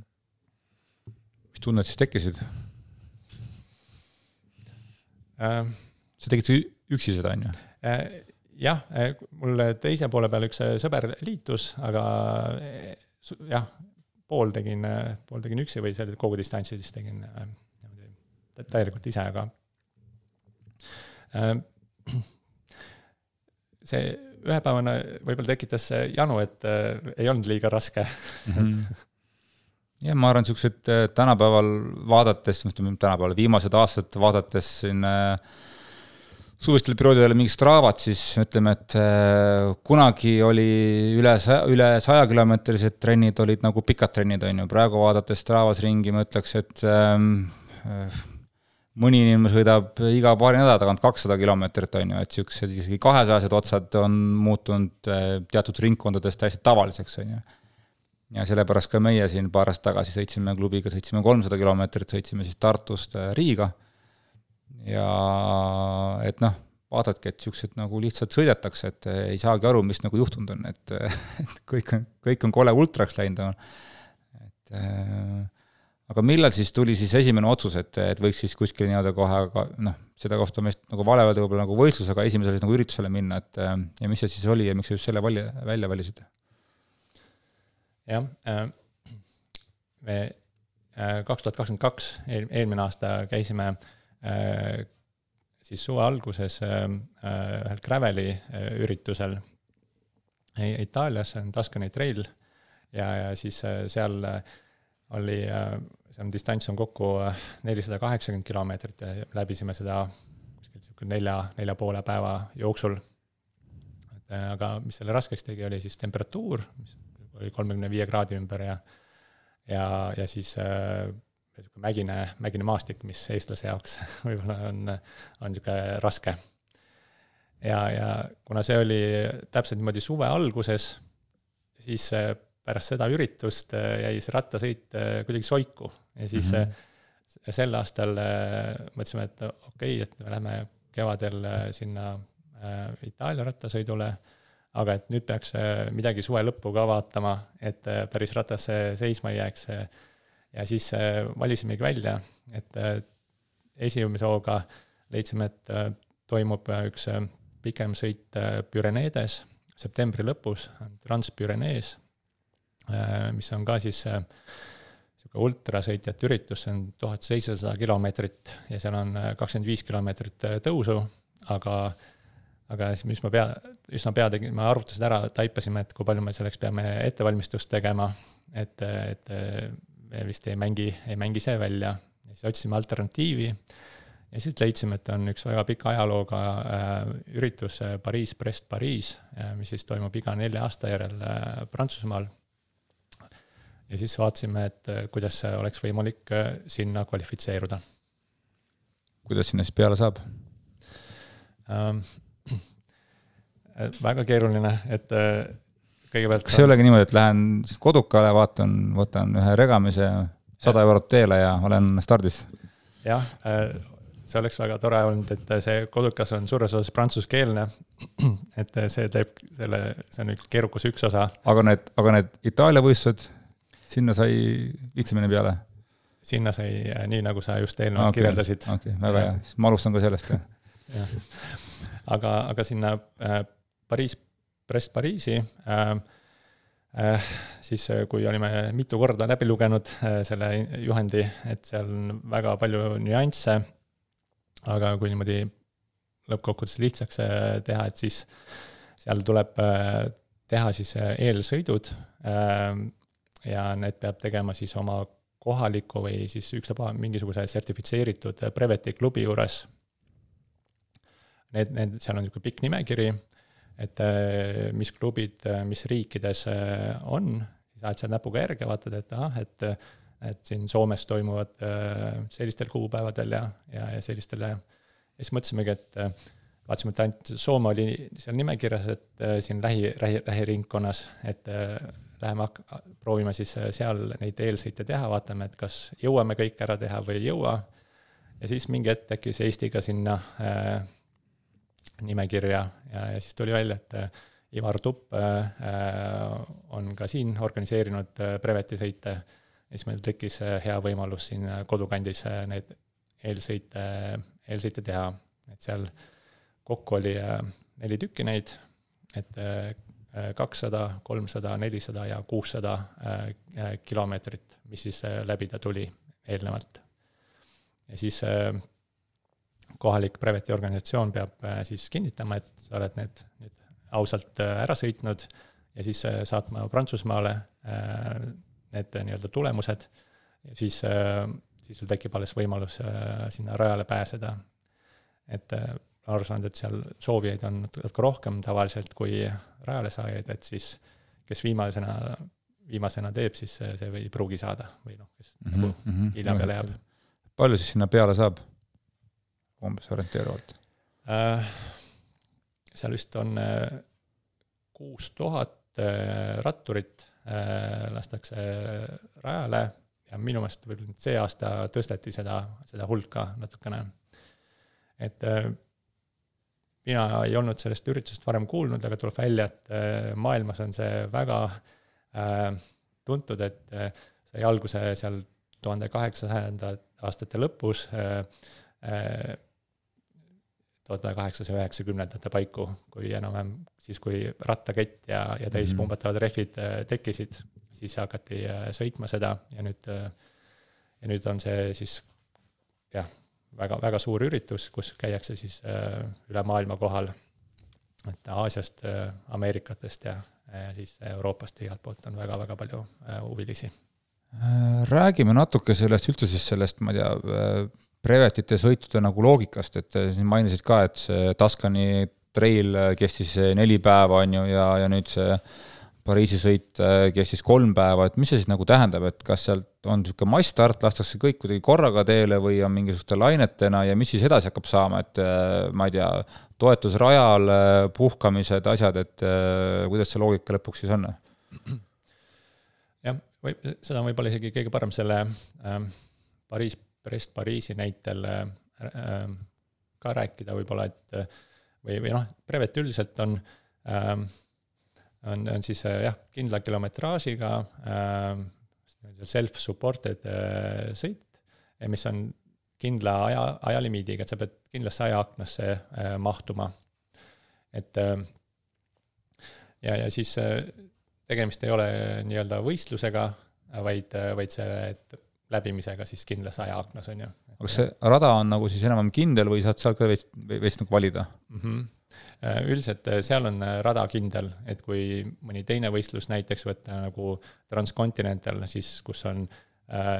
Mis tunned siis tekkisid? Sa tegid üksi seda, on ju? Jah, mul teise poole peal üks sõber liitus, aga jah, pool tegin, pool tegin üksi või selle kogu distantsi siis tegin täielikult ise, aga see ühepäevane võib-olla tekitas janu, et ei olnud liiga raske. Mm-hmm. Ja ma arvan, niisugused tänapäeval vaadates, tänapäeval viimased aastad vaadates siin suvistel perioodidel mingi Straavat, siis ütleme, et kunagi oli üle, üle saja kilomeetrised trennid olid nagu pikad trennid, on ju. Praegu vaadates Straavas ringi, ma ütleks, et mõni inimene sõidab iga paari nädala tagant kakssada kilomeetrit, on ju, et niisugused isegi kahesajased otsad on muutunud teatud ringkondades täiesti tavaliseks, on ju. Ja sellepärast ka meie siin paar aastat tagasi sõitsime klubiga, sõitsime kolmsada kilomeetrit, sõitsime siis Tartust Riiga. Ja et noh, vaadadki, et niisugused nagu lihtsalt sõidetakse, et ei saagi aru, mis nagu juhtunud on, et, et kõik, on, kõik on kole ultraks läinud. Et, aga millal siis tuli siis esimene otsus, et, et võiks siis kuskil nii-öelda kohe, noh, seda kohta meist nagu vale öelda võib-olla nagu võistlusega esimesele nagu üritusele minna, et ja mis see siis oli ja miks just selle vali, välja valisid? Jah, me kaks tuhat kakskümmend kaks eelmine aasta käisime siis suve alguses ühel Graveli üritusel Itaalias, on Tuscany Trail ja, ja siis seal oli, see distants on kokku nelisada kaheksakümmend kilomeetrit ja läbisime seda nelja, nelja poole päeva jooksul. Aga mis selle raskeks tegi, oli siis temperatuur, mis oli kolmekümne viie kraadi ümber ja, ja, ja siis mägine, mägine maastik, mis eestlase jaoks võib-olla on, on niisugune raske. Ja, ja kuna see oli täpselt niimoodi suve alguses, siis pärast seda üritust jäi see rattasõit kuidagi soiku. Ja siis mm-hmm. sel aastal mõtlesime, et okei, okay, et me läheme kevadel sinna Itaalia rattasõidule, aga et nüüd peaks midagi suve lõppu ka vaatama, et päris ratas seisma ei jääks. Ja siis valisimegi välja, et esimese hooga leidsime, et toimub üks pikem sõit Pyreneedes septembri lõpus, Transpyrenees, mis on ka siis ultrasõitjate üritus, see on tuhat seitsesada kilomeetrit ja seal on kakskümmend viis kilomeetrit tõusu, aga, aga mis ma pea, üsna pea tegin, ma arvutasin ära, taipasime, et kui palju me selleks peame ettevalmistust tegema, et, et me vist ei mängi, ei mängi see välja. Ja siis otsisime alternatiivi ja siis leidsime, et on üks väga pika ajalooga üritus Pariis-Brest-Pariis, mis siis toimub iga nelja aasta järel Prantsusmaal. Ja siis vaatasime, et kuidas oleks võimalik sinna kvalifitseeruda. Kuidas sinna siis peale saab? Ähm, väga keeruline, et kõigepealt... Kas see olegi niimoodi, et lähen kodukale, vaatan, võtan ühe regamise, sada eurot teele ja olen stardis? Jah, see oleks väga tore olnud, et see kodukas on suures osas prantsuskeelne, et see teeb selle, see on üks keerukas üks osa. Aga need, aga need Itaalia võistlused, sinna sai lihtsamini peale? Sinna sai nii, nagu sa just eelnevalt okay, kirjeldasid. Okay, väga hea, siis ma alustan ka sellest. Ja. Aga, aga sinna Pariis, Brest-Pariisi, äh, äh, siis kui olime mitu korda läbi lugenud äh, selle juhendi, et seal on väga palju nüansse, aga kui niimoodi lõppkokkuvõttes lihtsaks teha, et siis seal tuleb äh, teha siis eelsõidud äh, ja need peab tegema siis oma kohaliku või siis üksaba mingisuguse sertifitseeritud Breveti klubi juures. Need, need, seal on niisugune pikk nimekiri, et mis klubid, mis riikides on, siis ajad seal näpuga järge, vaatad, et, ah, et, et siin Soomes toimuvad sellistel kuupäevadel ja, ja, ja sellistele. Ja siis mõtlesimegi, et vaatasime, et ainult Soome oli seal nimekirjas, et siin lähi, lähi, lähiringkonnas, et läheme proovime siis seal neid eelsõite teha, vaatame, et kas jõuame kõik ära teha või ei jõua. Ja siis mingi hetk tekkis Eestiga sinna äh, nimekirja ja, ja siis tuli välja, et Ivar Tupp on ka siin organiseerinud Breveti sõite ja siis meil tekkis hea võimalus siin kodukandis need eelsõite, eelsõite teha. Et seal kokku oli neli tükki neid, et kakssada, kolmsada, nelisada ja kuussada kilomeetrit, mis siis läbida tuli eelnevalt. Ja siis kohalik Breveti organisatsioon peab siis kinnitama, et sa oled need, need ausalt ära sõitnud ja siis saatma Prantsusmaale need nii-öelda tulemused ja siis, siis sul tekib alles võimalus sinna rajale pääseda. Et aru saanud, et seal soovijaid on natuke rohkem tavaliselt kui rajale saajaid, et siis kes viimasena, viimasena teeb, siis see ei pruugi saada või noh, kes mm-hmm, nagu mm-hmm, hilja peale jääb. Palju siis sinna peale saab? Umbes orienteeruvalt? Äh, seal vist on kuus tuhat ratturit äh, lastakse rajale ja minu meelest võib-olla see aasta tõsteti seda, seda hulka natukene. Et äh, mina ei olnud sellest üritusest varem kuulnud, aga tuleb välja, et äh, maailmas on see väga äh, tuntud, et äh, sai alguse seal tuhande kaheksasada aastate lõpus äh, äh, tuhat kaheksasada üheksakümnendate paiku, kui enam siis kui rattakett ja, ja täispumbatavad rehvid tekkisid, siis hakati sõitma seda ja nüüd, ja nüüd on see siis jah, väga, väga suur üritus, kus käiakse siis üle maailma kohal, et Aasiast, Ameerikatest ja, ja siis Euroopast igalt poolt on väga-väga palju huvilisi. Räägime natuke sellest, üldse siis sellest, ma ei tea, Brevetite sõitude nagu loogikast, et siin mainisid ka, et see Tuscany trail kestis neli päeva on ju ja, ja nüüd see Pariisi sõit kestis kolm päeva, et mis see siis nagu tähendab, et kas sealt on niisugune massstart, lastakse kõik kuidagi korraga teele või on mingisuguste lainetena ja mis siis edasi hakkab saama, et ma ei tea, toetusrajal, puhkamised, asjad, et kuidas see loogika lõpuks siis on? Jah, või, seda on võib-olla isegi kõige parem selle äh, Pariis, Brest Pariisi näitel äh, ka rääkida võib-olla, et või, või noh, brevet üldiselt on äh, On, on siis jah, kindla kilometraažiga äh, self-supported äh, sõit, mis on kindla aja, ajalimiidiga, et sa pead kindlasse ajaaknasse äh, mahtuma. Et äh, ja, ja siis äh, tegemist ei ole nii-öelda võistlusega, vaid, vaid see läbimisega siis kindlas ajaaknas on ju. Aga see rada on nagu siis enam kindel või saad seal ka veist, veist nagu valida? Mhm. Üldiselt seal on rada kindel, et kui mõni teine võistlus näiteks võtta nagu Transcontinental, siis kus on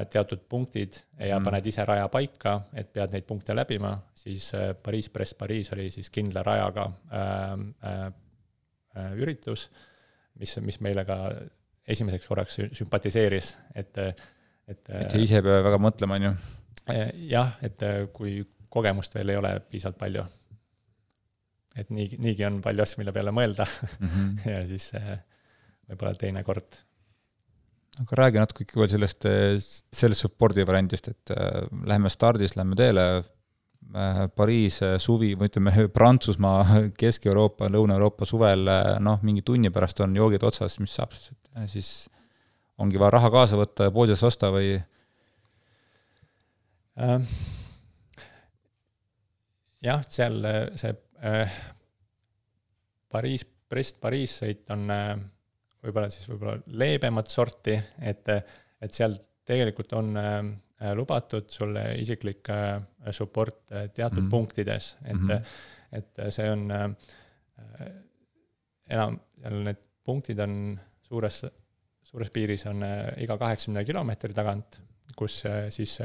teatud punktid ja mm. paned ise raja paika, et pead neid punkte läbima, siis Pariis, Brest, Pariis oli siis kindla rajaga äh, äh, üritus, mis, mis meile ka esimeseks korraks sümpatiseeris, et et, et ise peab väga mõtlema, on ju? Jah, et kui kogemust veel ei ole piisavalt palju. Et nii, niigi on palju asju, mille peale mõelda mm-hmm. ja siis võib-olla teine kord. Aga räägi natuke ikka veel sellest, sellest spordi variandist, et läheme stardis, läheme teele, Pariis suvi, või ütleme Prantsusmaa, Kesk-Euroopa, Lõuna-Euroopa suvel, noh, mingi tunni pärast on joogid otsas, mis saab siis, et siis ongi vaja raha kaasa võtta ja poodis osta või? Ähm, jah, seal see Pariis, Brest, Pariis sõit on võib-olla siis võib-olla leebemat sorti, et, et seal tegelikult on lubatud sulle isiklik support teatud mm-hmm. punktides, et, mm-hmm. et see on enam, seal need punktid on suures, suures piiris on iga kaheksakümne kilomeetri tagant, kus siis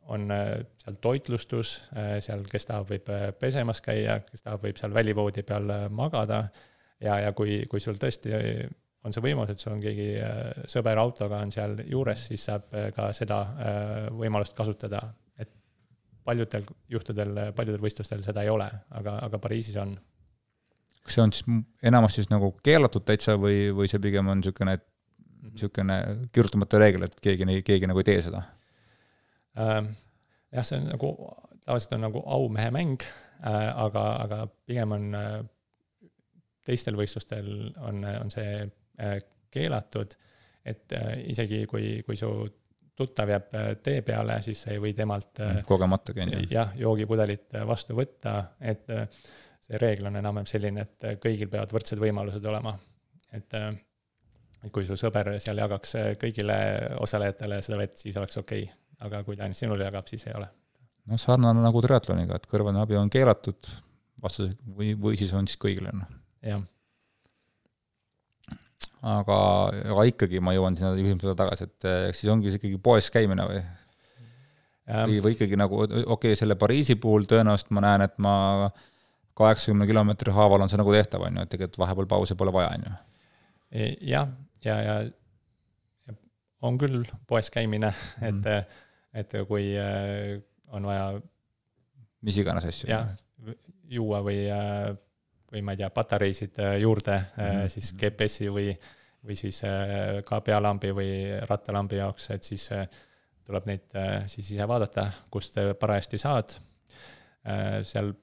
on seal toitlustus, seal kes tahab võib pesemas käia, kes tahab võib seal välivoodi peal magada ja, ja kui, kui sul tõesti on see võimalus, et sul on keegi sõber autoga on seal juures, siis saab ka seda võimalust kasutada, et paljudel juhtudel, paljudel võistlustel seda ei ole, aga, aga Pariisis on. Kas see on siis enamasti siis nagu keelatud täitsa või, või see pigem on niisugune, niisugune kirjutamata reegel, et keegi, keegi nagu ei tee seda? Jah, see on nagu, tavaliselt on nagu aumehe mäng, aga, aga pigem on teistel võistlustel on, on see keelatud, et isegi kui, kui su tuttav jääb tee peale, siis ei või temalt kogemata käin, jah, joogipudelit vastu võtta, et see reegel on enam selline, et kõigil peavad võrdsed võimalused olema, et kui su sõber seal jagaks kõigile osalejatele seda vett, siis oleks okei. Aga kui ta ainult sinule jagab, siis ei ole. No sarnane nagu triatloniga, et kõrvane abi on keelatud vastus, või, või siis on siis kõigile. Jah. Aga, aga ikkagi ma jõuan sinna juhimsele tagasi, et siis ongi see ikkagi poes käimine või? Või, või ikkagi nagu, okei, okay, selle Pariisi puhul tõenäoliselt ma näen, et ma kaheksakümne kilomeetri haaval on see nagu tehtav, on ju, et tegelikult vahepeal pausi pole vaja, on ju. Jah, ja, ja on küll poes käimine, et, mm. et kui on vaja mis iganes asju. Jah, juua või, või ma ei tea, patareisid juurde, mm. siis G P S-i või, või siis ka pealambi või rattalambi jaoks, et siis tuleb neid siis ise vaadata, kust parajasti saad. Seal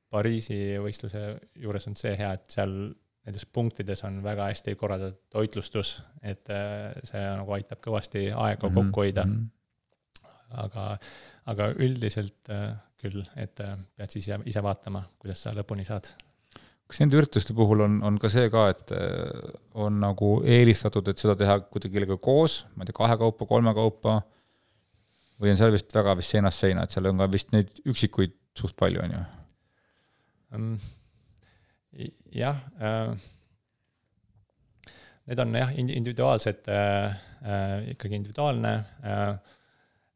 Pariisi võistluse juures on see hea, et seal nendes punktides on väga hästi korraldatud toitlustus, et see nagu aitab kõvasti aega mm-hmm. kokku hoida. Aga, aga üldiselt küll, et pead siis ise vaatama, kuidas sa lõpuni saad. Kas nende ürituste puhul on, on ka see ka, et on nagu eelistatud, et seda teha kuidagi kellega koos, ma ei tea, kahe kaupa, kolme kaupa, või on seal vist väga vist seinast seina, et seal on ka vist neid üksikuid suht palju, on ju? Um, jah, äh, need on jah, individuaalsed, äh, ikkagi individuaalne, äh,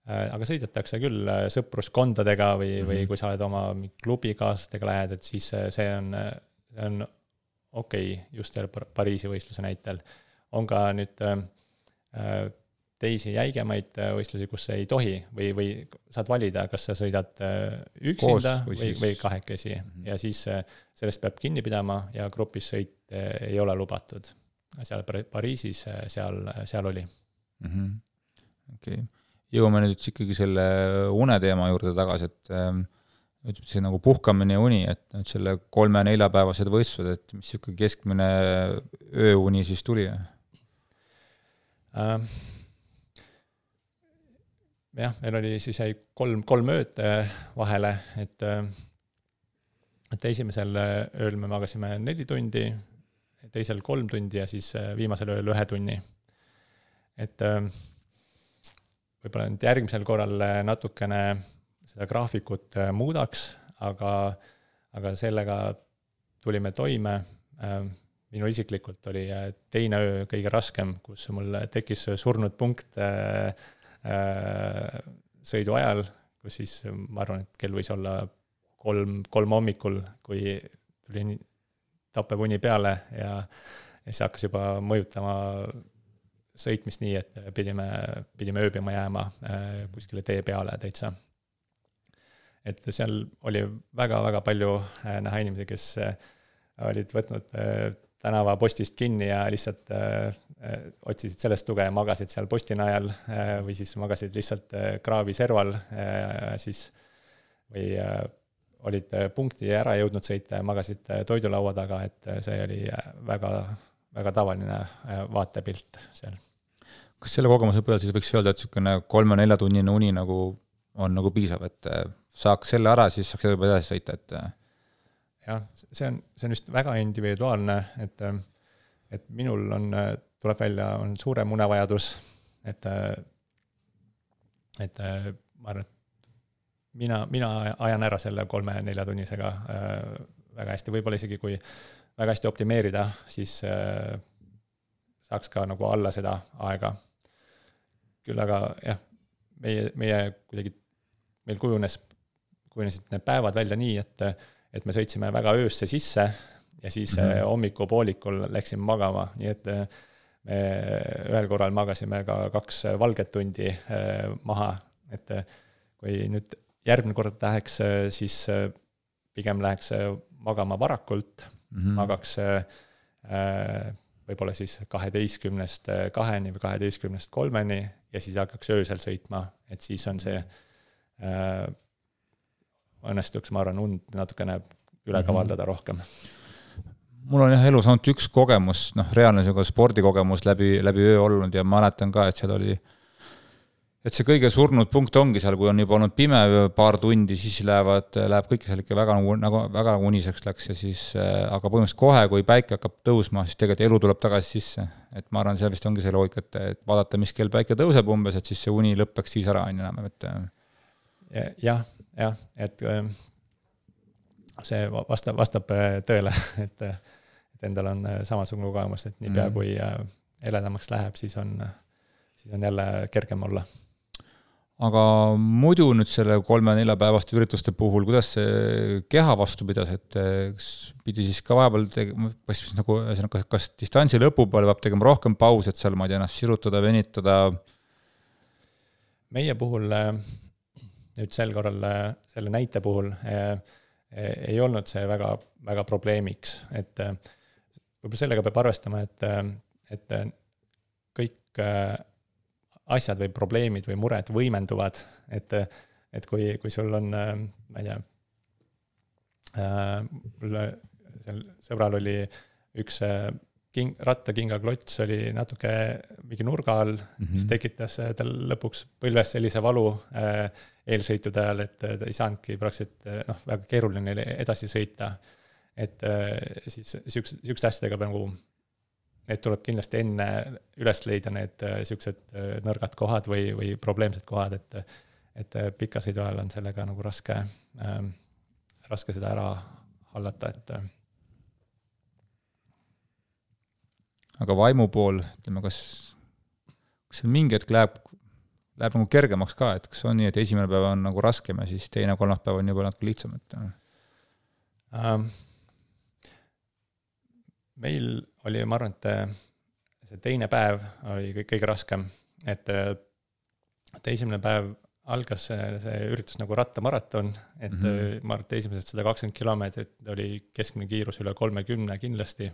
aga sõidetakse küll sõpruskondadega või, mm-hmm. või kui sa oled oma klubikaaslastega lähed, et siis see on, see on okei okay, just selle Pariisi võistluse näitel. On ka nüüd äh, teisi jäigemaid võistlusi, kus ei tohi või, või saad valida, kas sa sõidad üksinda Koos, või, või, või kahekesi mm-hmm. ja siis sellest peab kinni pidama ja grupis sõit ei ole lubatud. Seal Pariisis seal, seal oli. Mm-hmm. Okay. Jõuame nüüd ikkagi selle une teema juurde tagasi, et ähm, ütleb see nagu puhkamine ja uni, et nüüd selle kolme-neljapäevased võistlused, et mis ikkagi keskmine ööuni siis tuli? Ähm. Jah, meil oli siis jäi kolm, kolm ööd vahele, et, et esimesel ööl me magasime neli tundi, teisel kolm tundi ja siis viimasel ööl ühe tunni. Et võib-olla nüüd järgmisel korral natukene seda graafikut muudaks, aga, aga sellega tulime toime. Minu isiklikult oli teine öö kõige raskem, kus mul tekkis surnud punkt sõidu ajal, kus siis ma arvan, et kell võis olla kolm, kolm hommikul, kui tuli tappev uni peale ja, ja see hakkas juba mõjutama sõitmist nii, et pidime, pidime ööbima jääma kuskile tee peale täitsa. Et seal oli väga-väga palju näha inimesi, kes olid võtnud tänava postist kinni ja lihtsalt otsisid sellest tuge ja magasid seal posti najal või siis magasid lihtsalt kraavi serval siis, või olid punkti ära jõudnud sõita ja magasid toidulaua taga, et see oli väga, väga tavaline vaatepilt seal. Kas selle kogemuse peal siis võiks öelda, et niisugune kolme-nelja tunnine uni nagu on nagu piisav, et saaks selle ära, siis saaks juba edasi sõita, et jah, see on, see on just väga individuaalne, et, et minul on, tuleb välja, on suurem unevajadus, et, et ma arvan, et mina, mina ajan ära selle kolme-nelja tunnisega väga hästi, võib-olla isegi kui väga hästi optimeerida, siis saaks ka nagu alla seda aega. Küll aga jah, meie, meie kuidagi, meil kujunes, kujunesid need päevad välja nii, et et me sõitsime väga öösse sisse ja siis mm-hmm. hommikupoolikul läksime magama, nii et me ühel korral magasime ka kaks valget tundi maha, et kui nüüd järgmine kord läheks, siis pigem läheks magama varakult, mm-hmm. magaks võib-olla siis kaheteistkümnest kaheni või kaheteistkümnest kolmeni ja siis hakkaks öösel sõitma, et siis on see õnnestuks, ma arvan, und natukene üle kavaldada rohkem. Mul on jah elus ainult üks kogemus, noh, reaalne spordikogemus läbi, läbi öö olnud ja ma mäletan ka, et seal oli, et see kõige surnud punkt ongi seal, kui on juba olnud pime paar tundi, siis lähevad, läheb kõik seal ikka väga, nagu, väga uniseks läks ja siis, aga põhimõtteliselt kohe, kui päike hakkab tõusma, siis tegelikult elu tuleb tagasi sisse. Et ma arvan, seal vist ongi see loogika, et vaadata, mis kell päike tõuseb umbes, et siis see uni lõppeks siis ära, on enam, et jah, jah, et see vastab, vastab tõele, et, et endal on samasugune kogemus, et nii pea kui eledamaks läheb, siis on, siis on jälle kergem olla. Aga muidu nüüd selle kolme-nelja päevaste ürituste puhul, kuidas see keha vastu pidas, et pidi siis ka vahepeal tegema, nagu, kas, kas distantsi lõpu peale peab tegema rohkem paus, et seal ma ei tea ennast sirutada, venitada? Meie puhul nüüd sel korral selle näite puhul ei olnud see väga, väga probleemiks, et võib-olla sellega peab arvestama, et, et kõik asjad või probleemid või mured võimenduvad, et, et kui, kui sul on, ma ei tea, mul seal sõbral oli üks king, rattakinga klots oli natuke mingi nurga all, mm-hmm. mis tekitas tal lõpuks põlves sellise valu eelsõitude ajal, et ta ei saanudki praktiliselt noh, väga keeruline edasi sõita. Et siis sihukeste asjadega nagu, need tuleb kindlasti enne üles leida need sihukesed nõrgad kohad või, või probleemsed kohad, et, et pika sõidu ajal on sellega nagu raske, äh, raske seda ära hallata, et aga vaimu pool, ütleme, kas, kas see mingi hetk läheb, läheb nagu kergemaks ka, et kas on nii, et esimene päev on nagu raskem ja siis teine kolmas päev on juba natuke lihtsam, et ähm, meil oli, ma arvan, et see teine päev oli kõige raskem, et esimene päev algas see, see üritus nagu rattamaraton, et mm-hmm. ma arvan, et esimesed sada kakskümmend kilomeetrit oli keskmine kiirus üle kolmekümne kindlasti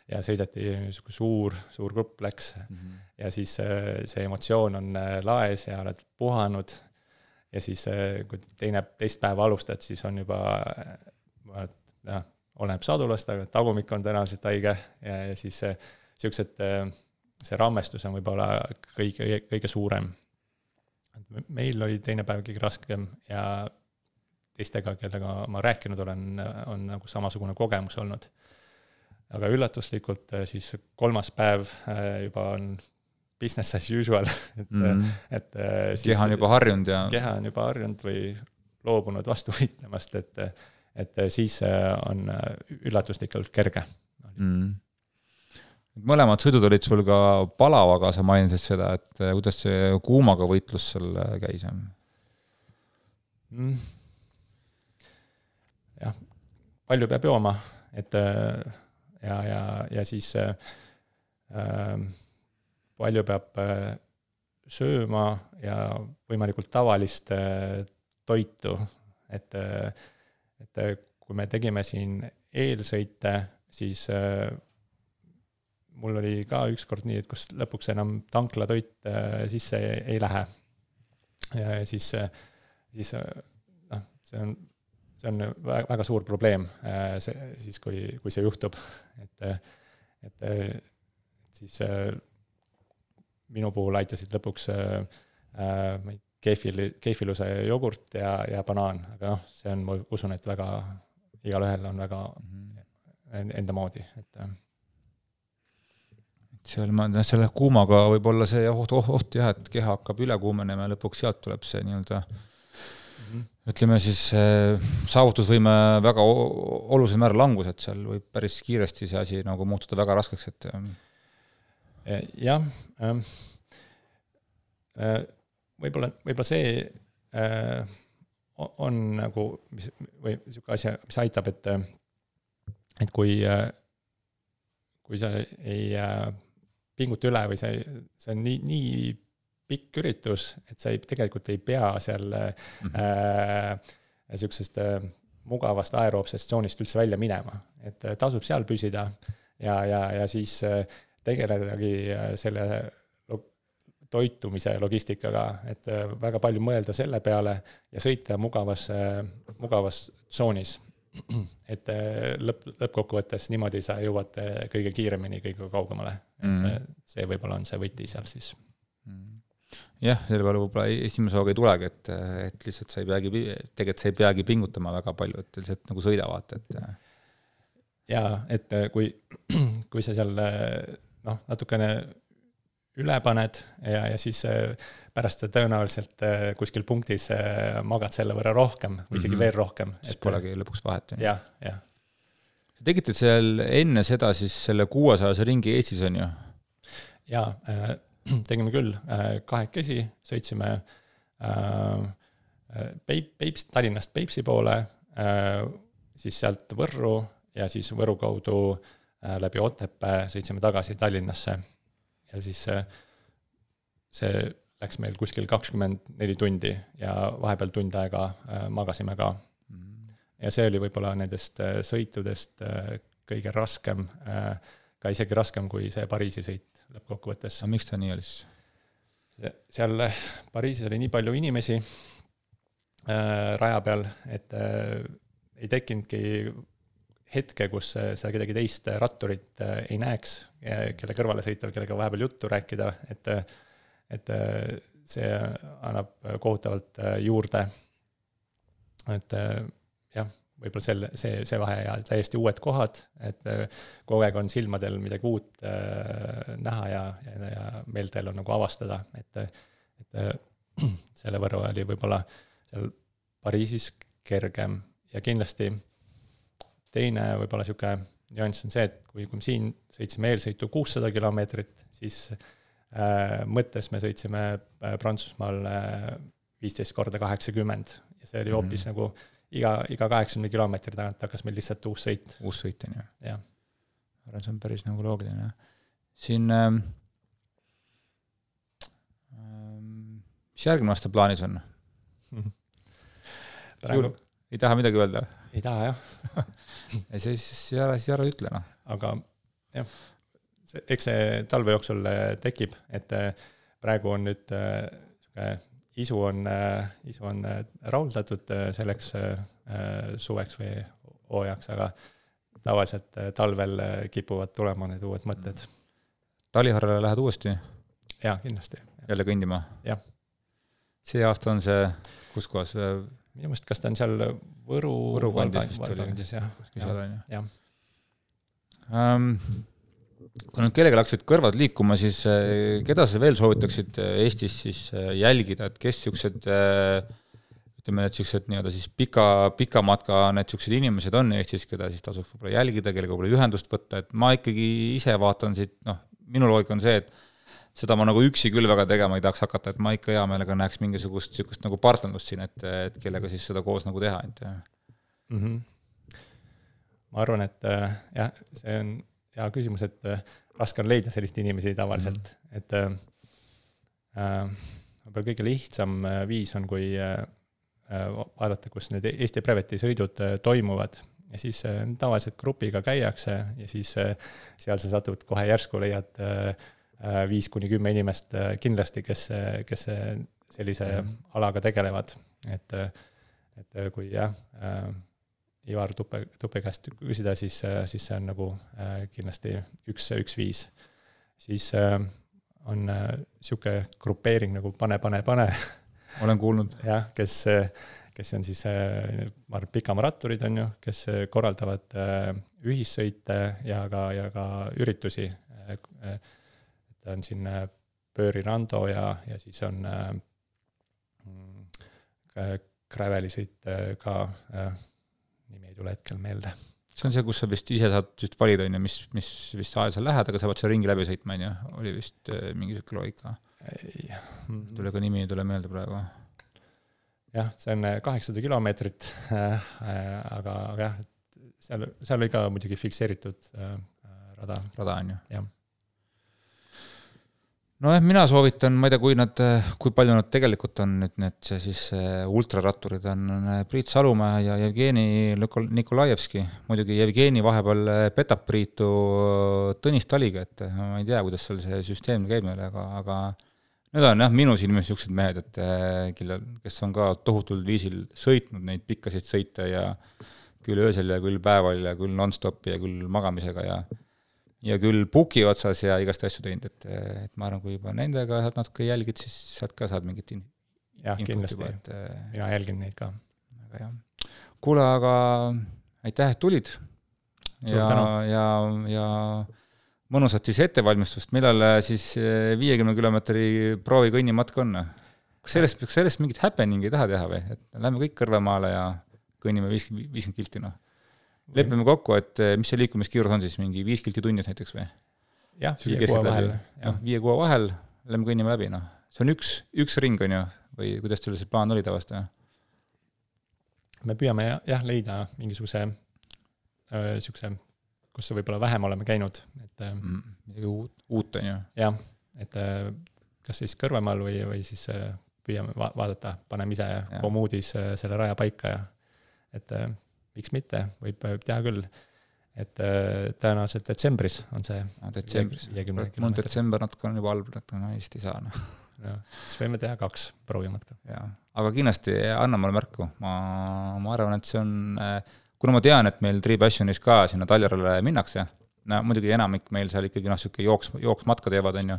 ja sõideti suur, suur grupp läks mm-hmm. ja siis see emotsioon on laes ja oled puhanud ja siis kui teine, teist päeva alustad, siis on juba jah, oleneb sadulast, aga tagumik on tõenäoliselt haige ja, ja siis siuksed, see rammestus on võib-olla kõige, kõige suurem. Meil oli teine päev kõige raskem ja teistega, kellega ma rääkinud olen, on nagu samasugune kogemus olnud. Aga üllatuslikult siis kolmas päev juba on business as usual. Et, mm. et siis, keha on juba harjunud ja... Keha on juba harjunud või loobunud vastu võitlemast, et, et siis on üllatuslikult kerge. Mm. Mõlemad sõidud olid sul ka palavaga, sa mainisid seda, et kuidas see kuumaga võitlus seal käis? Mm. Jah, palju peab jooma, et ja, ja, ja siis äh, palju peab sööma ja võimalikult tavalist toitu, et, et kui me tegime siin eelsõite, siis äh, mul oli ka ükskord nii, et kus lõpuks enam tanklatoit sisse ei, ei lähe. Ja siis, siis noh, see on, see on väga, väga suur probleem, see, siis kui, kui see juhtub. Et, et siis minu puhul aitasid lõpuks keefil, keefiluse jogurt ja, ja banaan, aga noh, see on, ma usun, et väga, igal ühel on väga enda moodi, et seal ma, selle kuumaga võib olla see oht, oht jah, et keha hakkab üle kuumenema ja lõpuks sealt tuleb see nii-öelda mm-hmm. ütleme siis saavutusvõime väga olulisel määral langus, et seal võib päris kiiresti see asi nagu muutuda väga raskeks, et jah, võib-olla, võib-olla see on nagu mis, või niisugune asja, mis aitab, et, et kui, kui sa ei pingut üle või see, see on nii, nii pikk üritus, et sa ei, tegelikult ei pea seal mm-hmm. äh, niisugusest äh, mugavast aeroobsest tsoonist üldse välja minema. Et tasub seal püsida ja, ja, ja siis äh, tegeledagi selle toitumise logistikaga, et äh, väga palju mõelda selle peale ja sõita mugavas, äh, mugavas tsoonis. Et lõpp, lõppkokkuvõttes niimoodi sa jõuad kõige kiiremini, kõige kaugemale. Mm. Et see võib-olla on see võti seal siis. Mm. Jah, selle peale võib-olla esimese hooga ei tulegi, et, et lihtsalt sa ei peagi, tegelikult sa ei peagi pingutama väga palju, et lihtsalt nagu sõidavad. Et... Ja, et kui, kui sa seal noh, natukene üle paned ja, ja siis pärast tõenäoliselt kuskil punktis magad selle võrra rohkem või isegi mm-hmm. veel rohkem. Siis polegi lõpuks vahet. Jah, jah. Sa tegite seal enne seda siis selle kuuesajase ringi Eestis on ju? Jaa, tegime küll kahekesi, sõitsime Peip, Peips, Tallinnast Peipsi poole, siis sealt Võrru ja siis Võru kaudu läbi Otepää sõitsime tagasi Tallinnasse. Ja siis see läks meil kuskil kakskümmend neli tundi ja vahepeal tund aega magasime ka. Ja see oli võib-olla nendest sõitudest kõige raskem, ka isegi raskem kui see Pariisi sõit lõppkokkuvõttes. Aga miks ta nii oli? Seal Pariisis oli nii palju inimesi raja peal, et ei tekkinudki hetke, kus sa kedagi teist ratturit ei näeks, kelle kõrvale sõital, kellega vahepeal juttu rääkida, et, et see annab kohutavalt juurde. Et jah, võib-olla selle, see, see vahe ja täiesti uued kohad, et kogu aeg on silmadel midagi uut näha ja, ja, ja meeltel on nagu avastada, et, et selle võrra oli võib-olla seal Pariisis kergem ja kindlasti teine võib-olla siuke nüanss on see, et kui, kui me siin sõitsime eelsõitu kuussada kilomeetrit, siis äh, mõttes me sõitsime Prantsusmaal viisteist korda kaheksakümmend ja see oli hoopis mm-hmm. nagu iga, iga kaheksakümne kilomeetri tagant hakkas meil lihtsalt uus sõit. Uus sõit on ju. Jah. see on päris nagu loogiline. Siin ähm, mis järgmine aasta plaanis on? Praegu... Ei taha midagi öelda? Ei taha, jah. ja siis, siis ära, siis ära ütle, noh. Aga jah, see, eks see talve jooksul tekib, et praegu on nüüd äh, isu on, äh, isu on rahuldatud selleks äh, suveks või hooajaks, aga tavaliselt talvel kipuvad tulema need uued mõtted. Taliharale lähed uuesti? Jaa, kindlasti. Jälle kõndima? Jah. See aasta on see, kus kohas? Minu mõist, kas ta on seal Võru, Võru kandis vist oli. Jah. Ja, ja. Um, kui nüüd kellega läksid kõrvad liikuma, siis keda sa veel soovitaksid Eestis siis jälgida, et kes siuksed, ütleme, et siuksed nii-öelda siis pika, pika matka need siuksed inimesed on Eestis, keda siis tasub võib-olla jälgida, kellega võib-olla ühendust võtta, et ma ikkagi ise vaatan siit, noh, minu loogika on see, et seda ma nagu üksi küll väga tegema ei tahaks hakata, et ma ikka hea meelega näeks mingisugust sükust nagu partnerlust siin, et, et kellega siis seda koos nagu teha. Et... Mm-hmm. Ma arvan, et jah, see on hea küsimus, et raske on leida sellist inimesi tavaliselt, mm-hmm. et äh, võib-olla kõige lihtsam viis on, kui äh, vaadata, kus need Eesti Breveti sõidud toimuvad ja siis äh, tavaliselt grupiga käiakse ja siis äh, seal sa satud kohe järsku leiad äh, viis kuni kümme inimest kindlasti, kes, kes sellise mm. alaga tegelevad. Et, et kui jah, Ivar Tuppe, Tuppe käest küsida, siis, siis see on nagu kindlasti üks, üks viis. Siis on siuke grupeering nagu pane, pane, pane. Olen kuulnud. jah, kes, kes on siis ma arvan, pikamaratturid on ju, kes korraldavad ühissõite ja ka, ja ka üritusi. Ta on siin Pööri Rando ja, ja siis on äh, Grävelisõit ka, äh, nimi ei tule hetkel meelde. See on see, kus sa vist ise saad vist valida, mis, mis vist aja sa lähed, aga sa pead see ringi läbi sõitma, ja oli vist äh, mingi siuke loogika. Tule ka nimi ei tule meelde praegu. Jah, see on kaheksasada kilomeetrit, äh, aga, aga jah, seal, seal oli ka muidugi fikseeritud äh, rada. Rada on ju. Jah. No jah, mina soovitan, ma ei tea, kui, nad, kui palju nad tegelikult on nüüd need see siis ultraratturid on Priit Salumäe ja Jevgeni Nikolajevski. Muidugi Jevgeni vahepeal petab Priitu Tõnis Taliga, et ma ei tea, kuidas seal see süsteem käib meile, aga, aga need on jah, minu silmis siuksed mehed, et kes on ka tohutul viisil sõitnud neid pikkasid sõite ja küll öösel ja küll päeval ja küll non-stopi ja küll magamisega ja ja küll puki otsas ja igast asju teinud, et, et ma arvan, kui juba nendega saad natuke jälgid, siis saad ka saad mingit in- jah, kindlasti. Juba, et, mina jälgin neid ka. Aga jah. Kuule, aga aitäh, et tulid. Ja, ja, ja mõnusat siis ettevalmistust. Millal siis viiekümne kilomeetri proovi kõnnimatk on? Kas sellest, kas sellest mingit happening ei taha teha või? Et lähme kõik Kõrvemaale ja kõnnime viiskümmend kilti, noh. Lepime kokku, et mis see liikumiskiirus on siis, mingi viis kilti tunnis näiteks või? Jah, viie kuue vahel. No, viie kuue vahel, lähme kõnnime läbi, noh. See on üks, üks ring on ju, või kuidas teil see plaan oli tavast? Me püüame jah leida mingisuguse äh, siukse, kus see võib-olla vähem oleme käinud. Et, mm, uut, uut on ju. Jah, et äh, kas siis Kõrvemaal või, või siis äh, püüame va- vaadata, paneme ise ja. Komuudis äh, selle raja paika ja et äh, miks mitte, võib teha küll, et äh, tõenäoliselt detsembris on see. No, detsembris, mul detsember natuke on juba halb, et ma hästi ei saa. No. No, siis võime teha kaks proovimatka. Ja. Aga kindlasti anna mulle märku, ma, ma arvan, et see on, kuna ma tean, et meil Tri Passionis ka sinna Taljarale minnakse, no, muidugi enamik meil seal ikkagi noh, siuke jooks, jooksmatka teevad, on ju,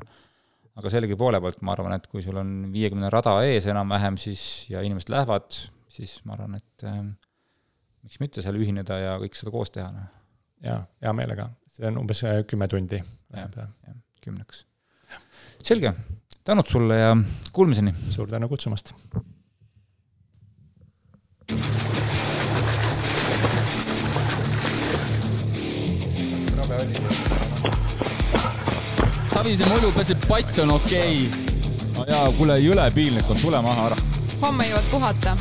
aga sellegi poole poolt ma arvan, et kui sul on viiekümne rada ees enam-vähem siis, ja inimesed lähevad, siis ma arvan, et äh, miks mitte seal ühineda ja kõik seda koos teha. No. Jaa, hea meelega. See on umbes kümme tundi. Ja, ja, kümneks. Selge. Tänud sulle ja kuulmiseni. Suur tänu kutsumast. Savise mulju pääseb pats on okei. Okay. No jaa, kuule, jõle piinlik on, tule maha ära. Homme jõuad puhata.